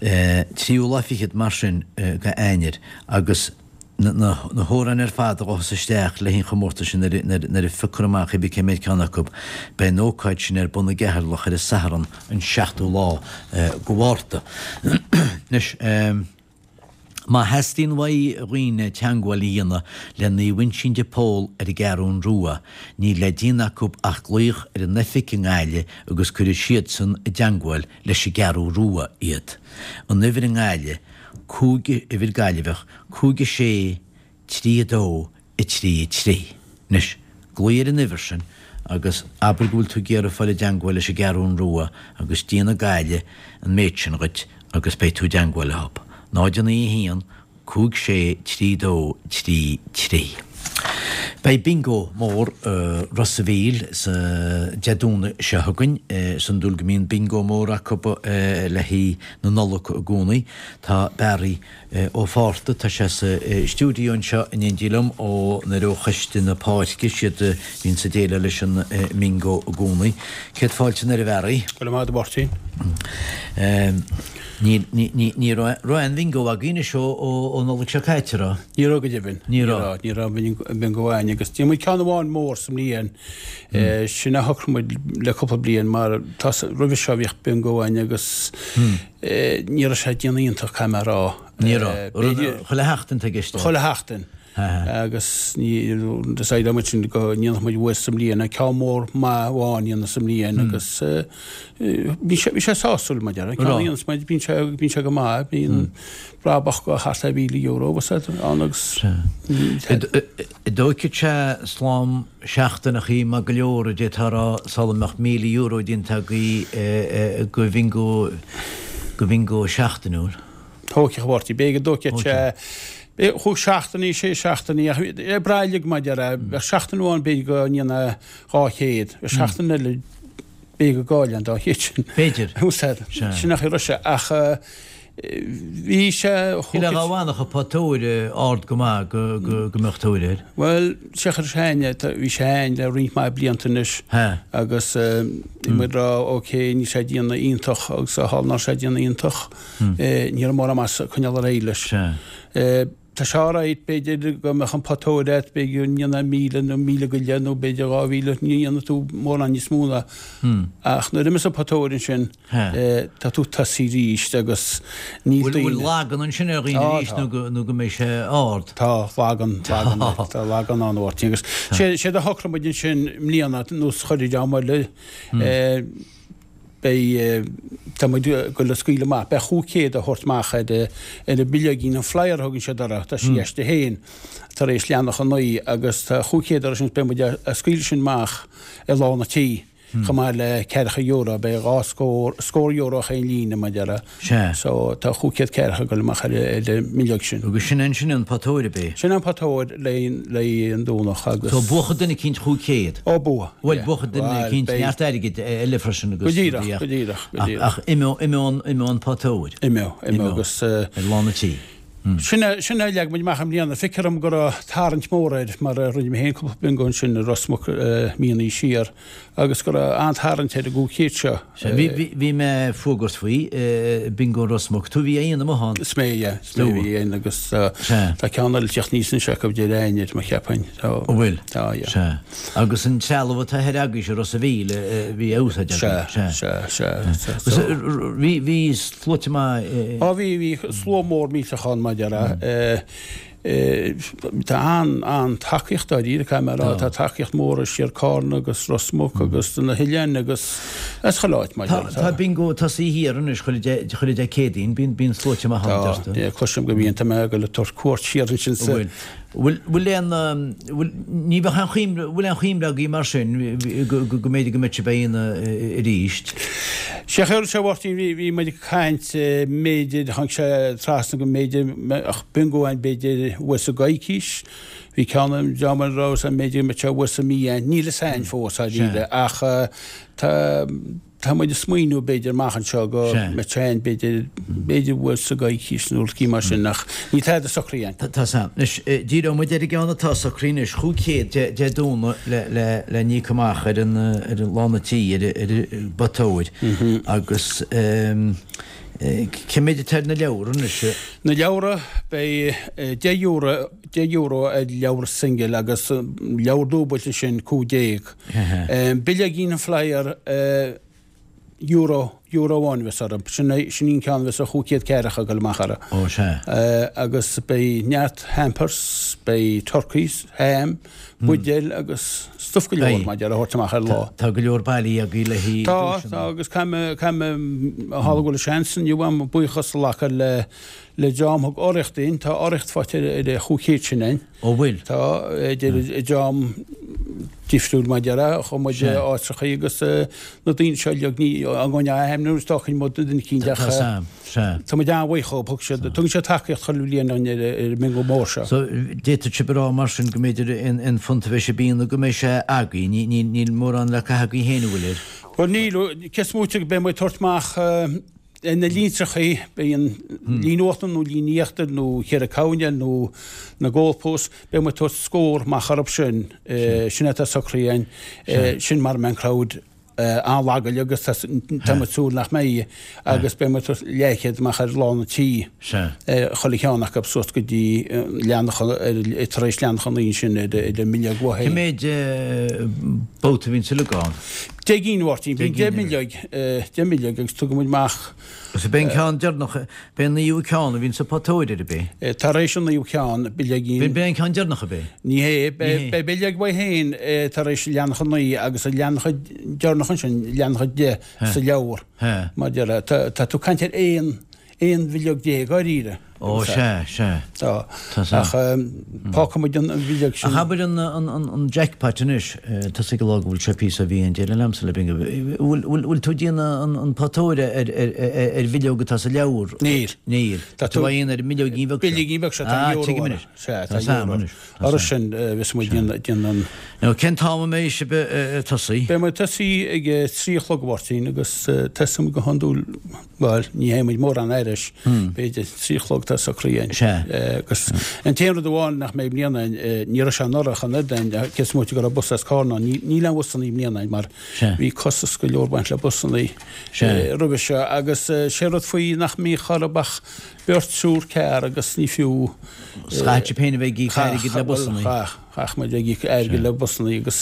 Tríú lá fichead mar sin de Eanáir agus na hamhráin ar fad a ghabhfas isteach le haghaidh an chomórtais sin nuair a phiocfar amach cibé cé méid ceann acu, beidh an ócáid sin ar bun i gCeatharlach ar an Satharn an seachtú lá de Mhárta. Anois. Má theastaíonn uaidh dhaoine teangmháil a dhéanamh le Naomh Uinseann de Pól ar an gCeathrún Rua, níl le déanamh acu ach glaoch ar an oifig i nGaillimh agus cuirfidh siadsan i dteangmháil leis an gCeathrú Rua iad. An uimhir i nGaillimh, 5, uimhir Gaillimheach, 5 6 3 2 3 3. Anois, glaoigh ar an uimhir sin agus abair go bhfuil tú ag iarraidh fáil i dteangmháil leis an gCeathrún Rua agus déanfaidh Gaillimh an méid sin dhuit agus beidh tú i dteangmháil leo. 0 9 1 5 6 3 2 3 3. Beidh Bingo mór i Ros a' Mhíl sa Dé Domhnaigh seo chugainn. Is iondúil go mbíonn Bingo mór acu le haghaidh na Nollag i gcónaí. Tá Barry Ó Fátharta, tá sé sa stiúideo anseo in éindí liom ó nuair ó Choiste na Páirce, siad a bhíonns ag déileáil leis an mbingo i gcónaí. Céad fáilte anoir a Bharry. Go raibh maith agat a Mháirtín. Ní, ní, ní, ní raibh, raibh aon bhingo againn anois ó, ó, ó Nollaig seo caite, raibh? Ní raibh go deimhin. Ní raibh. Ní raibh bingo againn agus déanann muid ceann amháin mór sa mbliain. Sin a shocraigh muid le cúpla bliain mar tá, roimhe seo bhíodh bingo againn agus Ní raibh sé ag déanamh iontach, caithfidh mé a rá. Ní raibh. Chuile sheachtain tá i gceist. Chuile sheachtain. Agus decide muid sin go ndéanfadh muid uair sa mbliain, ceann mór maith amháin a dhéanamh sa mbliain agus bhí sé bhí sé sásúil mar a déarfá. Ceann a dhéanas muid, bíonn sé bíonn sé go maith, bíonn brabach go thart ar €1,000 agus ann agus. An dtóigfeadh sé slám seachtaineachaí maith go leor a d'fhéadfá a rá sula mbeadh €1,000 déanta agaibh go bhingo go bhingo seachtainiúil? Thógfadh, a Mháirtín. B'fhéidir go dtógfadh sé chúig seachtainí, sé seachtainí ach ag brath uilig mar a déarfá. Bheadh seachtain amháin b'fhéidir go ndéanfá 200, bheadh seachtain eile b'fhéidir go gcaillfeá an 200 sin. B'fhéidir. Sin an chaoi a raibh sé ach Bhí sé chomh. Shílfeá dá bhfanfadh an potóir ard go maith go mbeadh tóir air. Bhuel, sé chuir sé ainn, bhí sé ainn le roinnt mhaith blianta anois agus bhí muid ag rá ok, níl sé ag déanamh iontach agus a tharla ná sé ag déanamh iontach, ní raibh mórán maitheasa ag coinneáil ar aghaidh leis. Tá sé alright, b'fhéidir go mbeadh an potóir agat, b'fhéidir go ndéanfá 1,000 nó 1,000 go leith nó b'fhéidir 2,000, ní dhéanfaidh tú mórán níos mó ná. Ach nuair a imeos an potóir ansin, tá tú tosaithe arís agus níl daoine. Bhfuil lagan ansin ar dhaoine arís nó nó go mbeidh sé ard? Tá lagan, lagan, tá lagan ann a Mháirtín agus séard a shocraigh muid ansin i mbliana nós chuile dream eile, Beidh, tá muid ag goil a scaoileadh amach, beidh 500 á thabhairt amach ar ar an bileoigín, an flyer a thugann siad orthu, tá sí aisti féin tar éis leathanach 9 agus tá 500 orthu sin, beidh muid a scaoileadh sin amach i lár na tí. Chomh maith le ceathracha euro, beidh 2 scór, scór euro chaon líne, mar a déarfá. Sea. So, tá 500 ceathracha ag dul amach ar an mbileog sin. Agus sin é sin an potóir, ab é? Sin an potóir le haghaidh an Domhnach agus. So, buafaidh duine eicínt 500? Ó, buafaidh. Bhuel, buafaidh duine eicínt neart airgid eile freisin agus. Go díreach, go díreach, go díreach. Ach imeoidh, imeoidh an potóir. Imeoidh, imeoidh agus. Ar lán an tí. Sin é, sin é a leag muid amach i mbliana. Feictear dom go raibh tarraingt mhór air mar a rinne mé féin cúpla bingo ansin i Ros Muc míonna siar agus go raibh an-tarraingt ar an gcúig chéad seo. Sea, bhí, bhí, bhí mé ag fuagairt faoi, bingo Ros Muc. Tú a bhí á dhéanamh amuigh ann? Is mé, yeah, is mé a bhí á dhéanamh agus tá ceann eile ag teacht aníos anois acu i deireadh Eanáir, mo cheapfainn. Tá, An bhfuil? Tá, yeah. Sea. Agus an trealamh atá thoir agaibhse i Ros a' Mhíl a bhí á úsáid agaibh? Sea, sea, sea, sea. Agus bhí, bhí sluaite maith. Á bhí, bhí slua mór millteach ann mar a déarfá. Tá an, an-tacaíocht dáiríre, caithfidh mé a rá. Tá tacaíocht mhór as siar Cárna agus Ros Muc agus do na hoileáin agus as chuile áit mar a déarfá. Tá bingo tosaithe thiar anois chuile Dé, chuile Dé Céadaoin, bíonn, bíonn sluaite maith ann, deirtear. Tá, cloisim go mbíonn, tá mé ag dul ag tabhairt cuairt siar ansin sa. Bhfuil. Bhfuil, bhfuil aon, bhfuil, ní bheadh aon chuimhne, bhfuil aon chuimhne agaibh mar sin go, go, go mb'fhéidir go mbeadh sibh á dhéanamh arís? Sé a chuir sé a Mháirtín, bhí, bhí muid ag caint mb'fhéidir, tháinig sé trasna go mb'fhéidir mbeadh bingo ann b'fhéidir uair sa gcoicís, bhí ceann an dream a raibh ann b'fhéidir go mbeadh sé uair sa mí ann, níl fhios a'inn fós dáiríre ach tá, Tá muid ag smaoineamh b'fhéidir amach anseo go mbeadh sé ann b'fhéidir, b'fhéidir uair sa gcoicís nó rud mar sin ach níl tada socraithe againn. Tá san. Anois, díreoidh muid ar an gceann atá socraithe anois, 500 Dé Domhnaigh le, le, le n-íoc amach ar an, ar an lán an tí, ar, ar an bpotóir agus cé méid atá ar na leabhra anois? Na leabhra, beidh €10, €10 ar leabhar singil agus leabhar dúbailte sin 15. Bileoigín an flyer euro, euro amháin a bheas orthu. Sin é, sin an ceann a bheas an chúig chéad ceathracha ag dul amach orthu. Ó, sea. Agus beidh neart hampers, beidh turkeys, ham, buidéil agus stuff go leor, mar a déarfá, a thabhairt amach ar lá. Tá go leor bailithe agaibh le haghaidh Tá, tá, agus caithfidh mé, caithfidh mé, a tharla go bhfuil seans inniu agam buíochas a ghlacadh le, le dream a thug urraíocht dúinn. Tá urraíocht faighte ar an chúig chéad sin againn. Ó bhfuil? Tá, idir dream difriúil mar a déarfá, chuaigh muid áiteachaí agus na daoine seo uilig, ní againn a ainmniú is dócha muid duine eicínt ach tá muid an-bhuíoch dhóibh, thug siad, tugann siad tacaíocht chuile bhliain dúinn ar an mbingo mór seo. So, d'fhéadfadh sibh a rá mar sin go mb'fhéidir aon phunt a bheidh sibh a dhéanamh go mbeidh sé agaibh, níl mórán le caitheamh agaibh féin an bhfuil air? Bhuel níl, cé is móite go mbeidh muid ag tabhairt amach Ar na línteachaí, beidh an líne uachtair nó líne íochtair nó cheithre coirnéal nó na goalposts, beidh muid ag tabhairt scór amach orthu sin. Sin é atá socraithe againn. Sin mara mbeidh an crowd an-lag agus tá muid ag súil nach mbeidh agus beidh muid ag tabhairt leathchéad amach ar lán an tí. Chuile cheann acu suas go dtí leathanach tar éis leathanach an ansin ar an mbileog uaidh Cé méid babhta a bhíonn uilig ann? 10 gcinn, a Mháirtín. Bíonn 10 mbileog, 10 mbileog agus tugann muid amach. Agus ab é an ceann deireanach, b'é an naoú ceann a bhíonn sa photóir ar ab é? Tar éis an naoú ceann, bileoigín. B'é an ceann deireanach ab é? Ní hé, beidh bileog uaidh féin tar éis leathanach a naoi agus an leathanach deireanach ansin, leathanach a deich sa leabhar. Mar a déarfá, tá tú ag caint ar aon 11 bhileog dháiríre. Ó, sea, sea. Tá. Tá. Ach fágfaidh muid an bhileog sin. Ach abair an jackpot anois, tusa ag rá go bhfuil sé píosa a bhí an déanamh liomsa le bingo. Bhfuil tú ag déanamh an potóir ar bhileog atá sa leabhar? Níl. Níl. Tá tú á dhéanamh ar an mbileoigín bheag seo. Bileoigín bheag seo, tá euro. Ah, tuigim anois. Sea, tá euro. Orthu sin, bheas muid ag déanamh an. Now, cén t-am a mbeidh sibh ag tosaí? Beidh muid ag tosaí ag a trí a chlog, a Mháirtín, agus tosóidh muid go hiondúil, bhuel, ní théann muid mórán thairis, b'fhéidir trí a chlog tá socraithe againn. Sea. Agus an t-aon rud amháin nach mbeidh i mbliana againn, ní raibh sé anuraidh ach an oiread againn, cé is móite go raibh bus as Carna ann, níl aon bhusanna i mbliana againn mar bhí costas go leor ag baint le busanna roimhe seo agus sé rud faoi nach mbíodh orthu ach Beirt, triúr, carr agus ní fiú. Chaith sibh féin a bheith ag íoc airgid le busanna. Chaith, chaith muid ag íoc airgid le busanna agus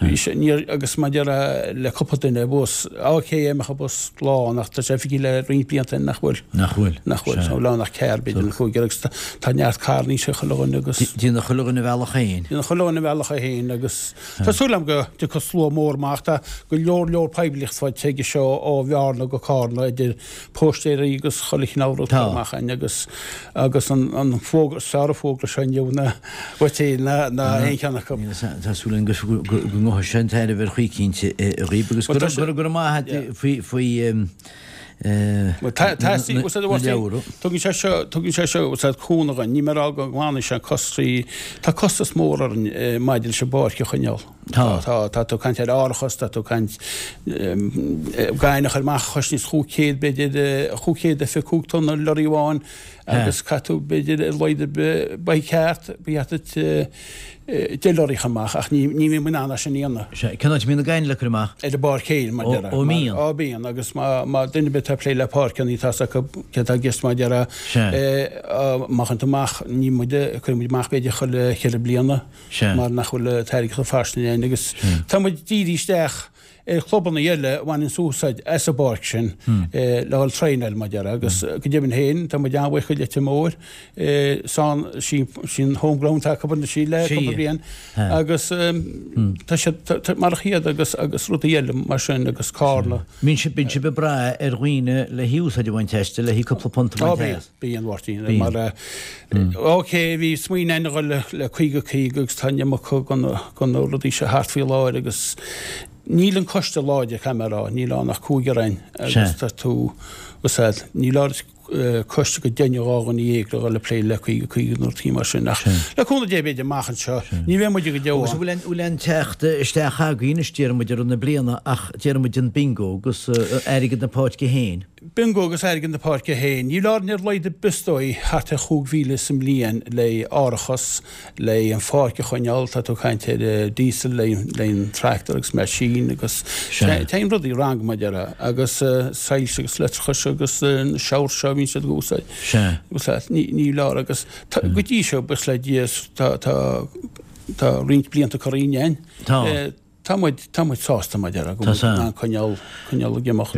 bhí sé, níor, agus maidir le cúpla duine bus, ok, mbeadh an bus lán ach tá sé feicthe le roinnt blianta nach bhfuil. Nach bhfuil. Nach bhfuil, tá lán ach carr b'fhéidir nó cúigear agus tá neart carranna ag chuile dhuine agus. Déanann chuile dhuine a bhealach féin. Déanann chuile dhuine a bhealach féin agus tá súil agam go dtiocfaidh slua mór amach, tá go leor leor poiblíocht faighte aige seo ó Bhearna go Cárna idir póistéirí agus chuile chineál rud curtha amach againn agus agus an an fógra is fearr an fógra seo inniu ná uait féin ná ná. aon cheann acu. Tá súil againn go ngabhfaidh sé an tairbhe ar chaoi eicínt dhaoib agus go raibh maith agat faoi na leabhra. Tugann sé seo, tugann sé seo úsáid cúnamh dhúinn. Níl mé ag rá go nglanfaidh sé costas, tá costas mór orainn maidir leis an bpáirc a choinneáil. Tá. Tá, tá tú ag caint ar árachas, tá tú ag caint gainimh a chur amach, chosnaíos 500 b'fhéidir, 525 tonna lorry amháin agus caithfidh tú b'fhéidir ar a laghad ar bith, ba cheart, ba cheart duit 10 lorry a chur amach ach ní ní bhíonn muid in ann é sin a dhéanamh. Sea, cén áit a mbíonn na gaineamh le cur amach? Ar an bpáirc féin, mar déarfá. Ó, mbíonn. Ó, bíonn agus má má duine ar bith atá ag plé le páirceanna tá 's acu céard atá i gceist mar déarfá. Sea. Má chuireann tú amach, ní muid, cuireann muid amach b'fhéidir chuile cheithre bliana. Sea. Mar nach bhfuil an t-airgead chomh fairsing againn agus tá muid dírithe isteach ar chlubanna eile a bhaineanns úsáid as an bpáirc sin le dhul traenáil, mar déarfá, agus go deimhin féin tá muid an-bhuíoch go Leitir Móir, san, sin home ground atá acu anois le cúpla bliain agus tá siad mar iad agus agus rudaí eile mar sin agus Carna. Bíonn sibh bíonn sibh ag brath ar dhaoine le húsáid a bhaint aisti, le cúpla punt a bhaint as. Bíonn, a Mháirtín, mar ok, bhí smaoineamh againn a dhul le 50 50 agus tá an iomarca de na rudaí seo thart faoi láthair agus níl an coiste láidir, caithfidh mé a rá, níl ann ach cúigear againn agus tá tú, úsáid, níl oiread coiste go deichniúr 12 dhuine le dhul ag plé le 50 50 nó rudaí mar sin ach le cúnamh Dé b'fhéidir amach anseo ní bheidh muid go deo Agus an bhfuil aon teacht isteach agaibh anois, déarfaidh muid i rith na bliana ach déarfaidh muid an bingo agus airgead na páirce féin? Bingo agus airgead na páirce féin. Níl orainn ar a laghad ar bith is dóigh thart ar 5,000 sa mbliain le árachas, le an pháirc a choinneáil, tá tú ag caint ar diesel le an tractor agus machine agus téann rudaí wrong mar a déarfá agus soilse agus leictreachais agus na showers seo a bhíonn siad ag úsáid. Agus ní leor agus go dtí seo buíochas le Dia tá tá roinnt blianta curtha againn. Tá. Tá muid, tá muid sásta mar a déarfá, go bhfuil in ann coinneáil, coinneáil ag imeacht.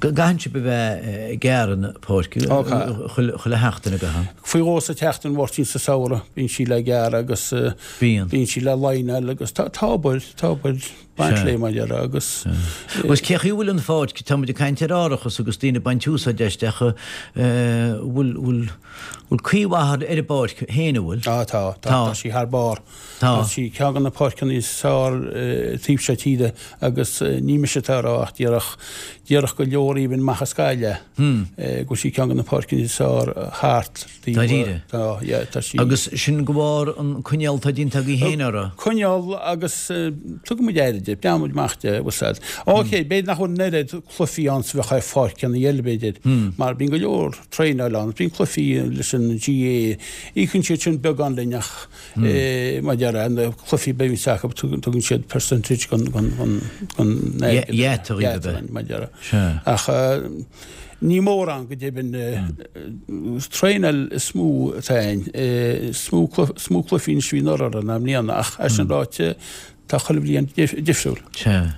Gcaitheann sibh a bheith ag gearradh na páirce chuile sheachtain, an gcaitheann? Faoi dhó sa tseachtain, a Mháirtín, sa samhradh, bíonn sí le gearradh agus Bíonn. bíonn sí le líneáil agus tá, tá obair, tá obair baint léi mar a déarfá agus. Agus cé chaoi a bhfuil an pháirc, tá muid ag caint ar árachas agus daoine ag baint úsáid aisti ach bhfuil, bhfuil, bhfuil caoi mhaith ar an bpáirc féin, an bhfuil? Tá, tá, tá, tá sí thar barr. Tá. Tá sí ceann de na páirceanna is fearr taobh seo tíre agus ní mise atá á rá ach déarfadh, déarfadh go leor even amach as Gaillimh go bhfuil sí ceann de na páirceanna is fearr thart taobh. Dáiríre? Tá, yeah, tá sí. Agus sin de bharr an coinneáil atá déanta agaibh féin uirthi? Coinneáil agus tugann muid aire di, breathnaíonn muid amach di, bhfuil 's a'd. Ok, b'fhéidir nach bhfuil an oiread cluichí ann is a bheadh ar pháirceanna eile b'fhéidir mar bíonn go leor traenáil ann, bíonn cluichí leis an GAA, íocann siad sin beagán linn ach Mar a déarfá, na cluichí a bhíonns acu, tugann siad percentage den airgead. Iad, mar a déarfá. Ach ní mórán go deimhin. Traenáil is mó atá ann. Is mó cluichí anois a bhí anuraidh ná i mbliana ach é sin ráite, tá chuile bhliain difriúil. Sea.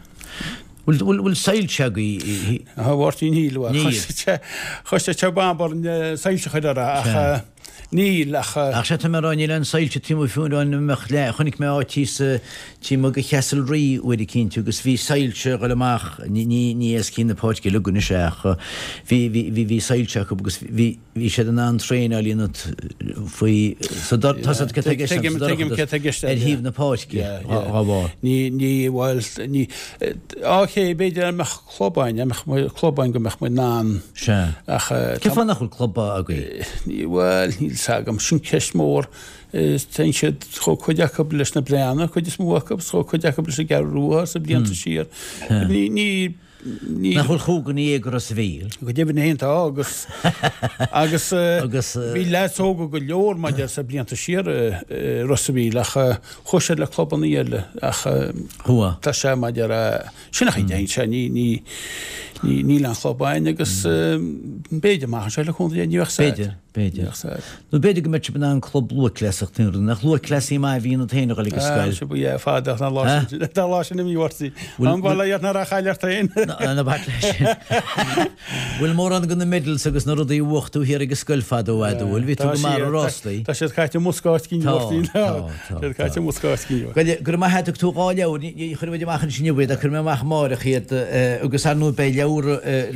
Bhfuil soilse agaibh? A Mháirtín, níl. Níl. Chuir sé bamb orainn soilse a chur orthu ach. Níl ach. Ach sea, tá mé a rá, níl aon soilse taobh amuigh fiú an mbeadh le, chonaic mé áit thíos taobh amuigh de Chastlerea uair eicínt agus bhí soilse ag dul amach, ní, ní, ní éascaíonn na páirce uilig anois é ach bhí, bhí, bhí, bhí soilse acu agus bhí, bhí siad in ann traenáil a dhéanamh faoi, sa dor, tá siad, céard tá i gceist agam, sa Tuigim, tuigim céard tá i gceist dorchadas, ar thaobh na páirce, dá bharr. Ní, ní, bhuel, ní, ok, b'fhéidir dá mbeadh club againn, dá mbeadh club againn go mbeadh muid in ann. Sea. Ach. Cén fáth nach bhfuil club agaibh? Ní, bhuel, níl 's agam. Sin ceist mhór. Téann siad, chuaigh cuid acu leis na Breathnaigh, cuid is mó acu, chuaigh cuid acu leis an gCeathrú Rua sna blianta siar. Ní, ní, ní. Nach bhfuil chúig dhuine dhéag i Ros a' Mhíl? Go deimhin féin tá agus, agus, Agus. bhí leaids óga go leor maidir sna blianta siar i Ros a' Mhíl ach chuaigh siad le clubanna eile ach Chuaigh. tá sé maidir Sin an chaoi a dtéann sé, ní, ní, ní, níl aon chlub againn agus b'fhéidir amach anseo le cúnamh Dé, ní bheadh sad. B'fhéidir, b'fhéidir. Ní bheadh sad. Nó b'fhéidir go mbeadh sibh in ann club lúthchleasaíochta a dhéanamh, nach lúthchleasaí maith a bhí ionat féin a dhul ag an scoil? Ah, sibh, yeah, fada ach ná lá sin, ná lá sin imithe uirthi. An bhfuil a fhios nár chaill ort féin? Ná bac leis sin. Bhfuil mórán de na medals agus na rudaí a bhuaigh tú thiar ag an scoil fadó fhadó, bhfuil? Bhí tú go maith ar rástaí. Tá siad caite i mbosca áit éigin Tá, Mháirtín. tá, tá, Tá siad caite i mbosca áit éigin. Go raibh maith agat, thug tú dhá leabhar, ní chuirfidh muid amach ansin inniu iad, ach cuirfidh mé amach amáireach iad agus ar ndóigh beidh leabhar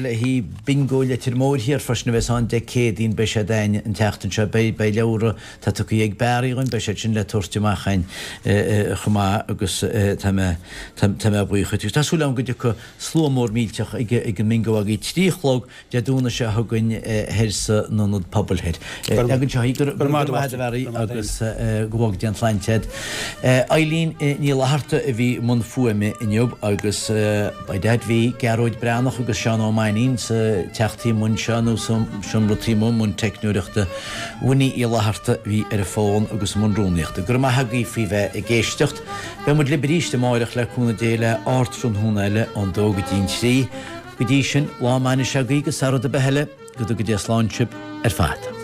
le haghaidh Bingo Leitir Móir thiar freisin a bheas ann Dé Céadaoin, beidh siad ann. againn an tseachtain seo. Beidh, beidh leabhra atá tugtha ag Barry dhúinn, beidh siad sin le tabhairt amach againn chomh maith agus tá mé, tá mé buíoch dhuit. Agus tá súil agam go dtiocfaidh slua mór millteach ag an mBingo agaibh. 3 a chlog Dé Domhnaigh seo chugainn thoir san Ionad Pobail Thoir. Leagann seo í go raibh maith agat a Bharry agus go bhfága Dia an tsláinte agat. Eileen Ní Fhlatharta a bhí i mbun fuaime inniu agus by dad bhí Gearóid Breathnach agus Seán Ó Mainnín sa teach taobh amuigh anseo nó sa seomra taobh amuigh i mbun teicneoireachta. Winnie Uí Fhlatharta a bhí ar an bhfón agus i mbun rúnaíochta. Go raibh maith agaibh faoi bheith ag éisteacht. Beidh muid libh arís amáireach le cúnamh Dé le Ardtráthnóna eile ón dó go dtí an trí. Go dtí sin, lá maith anois agaibh agus sara rud ar bith eile, go dtuga Dia slán sibh ar fad.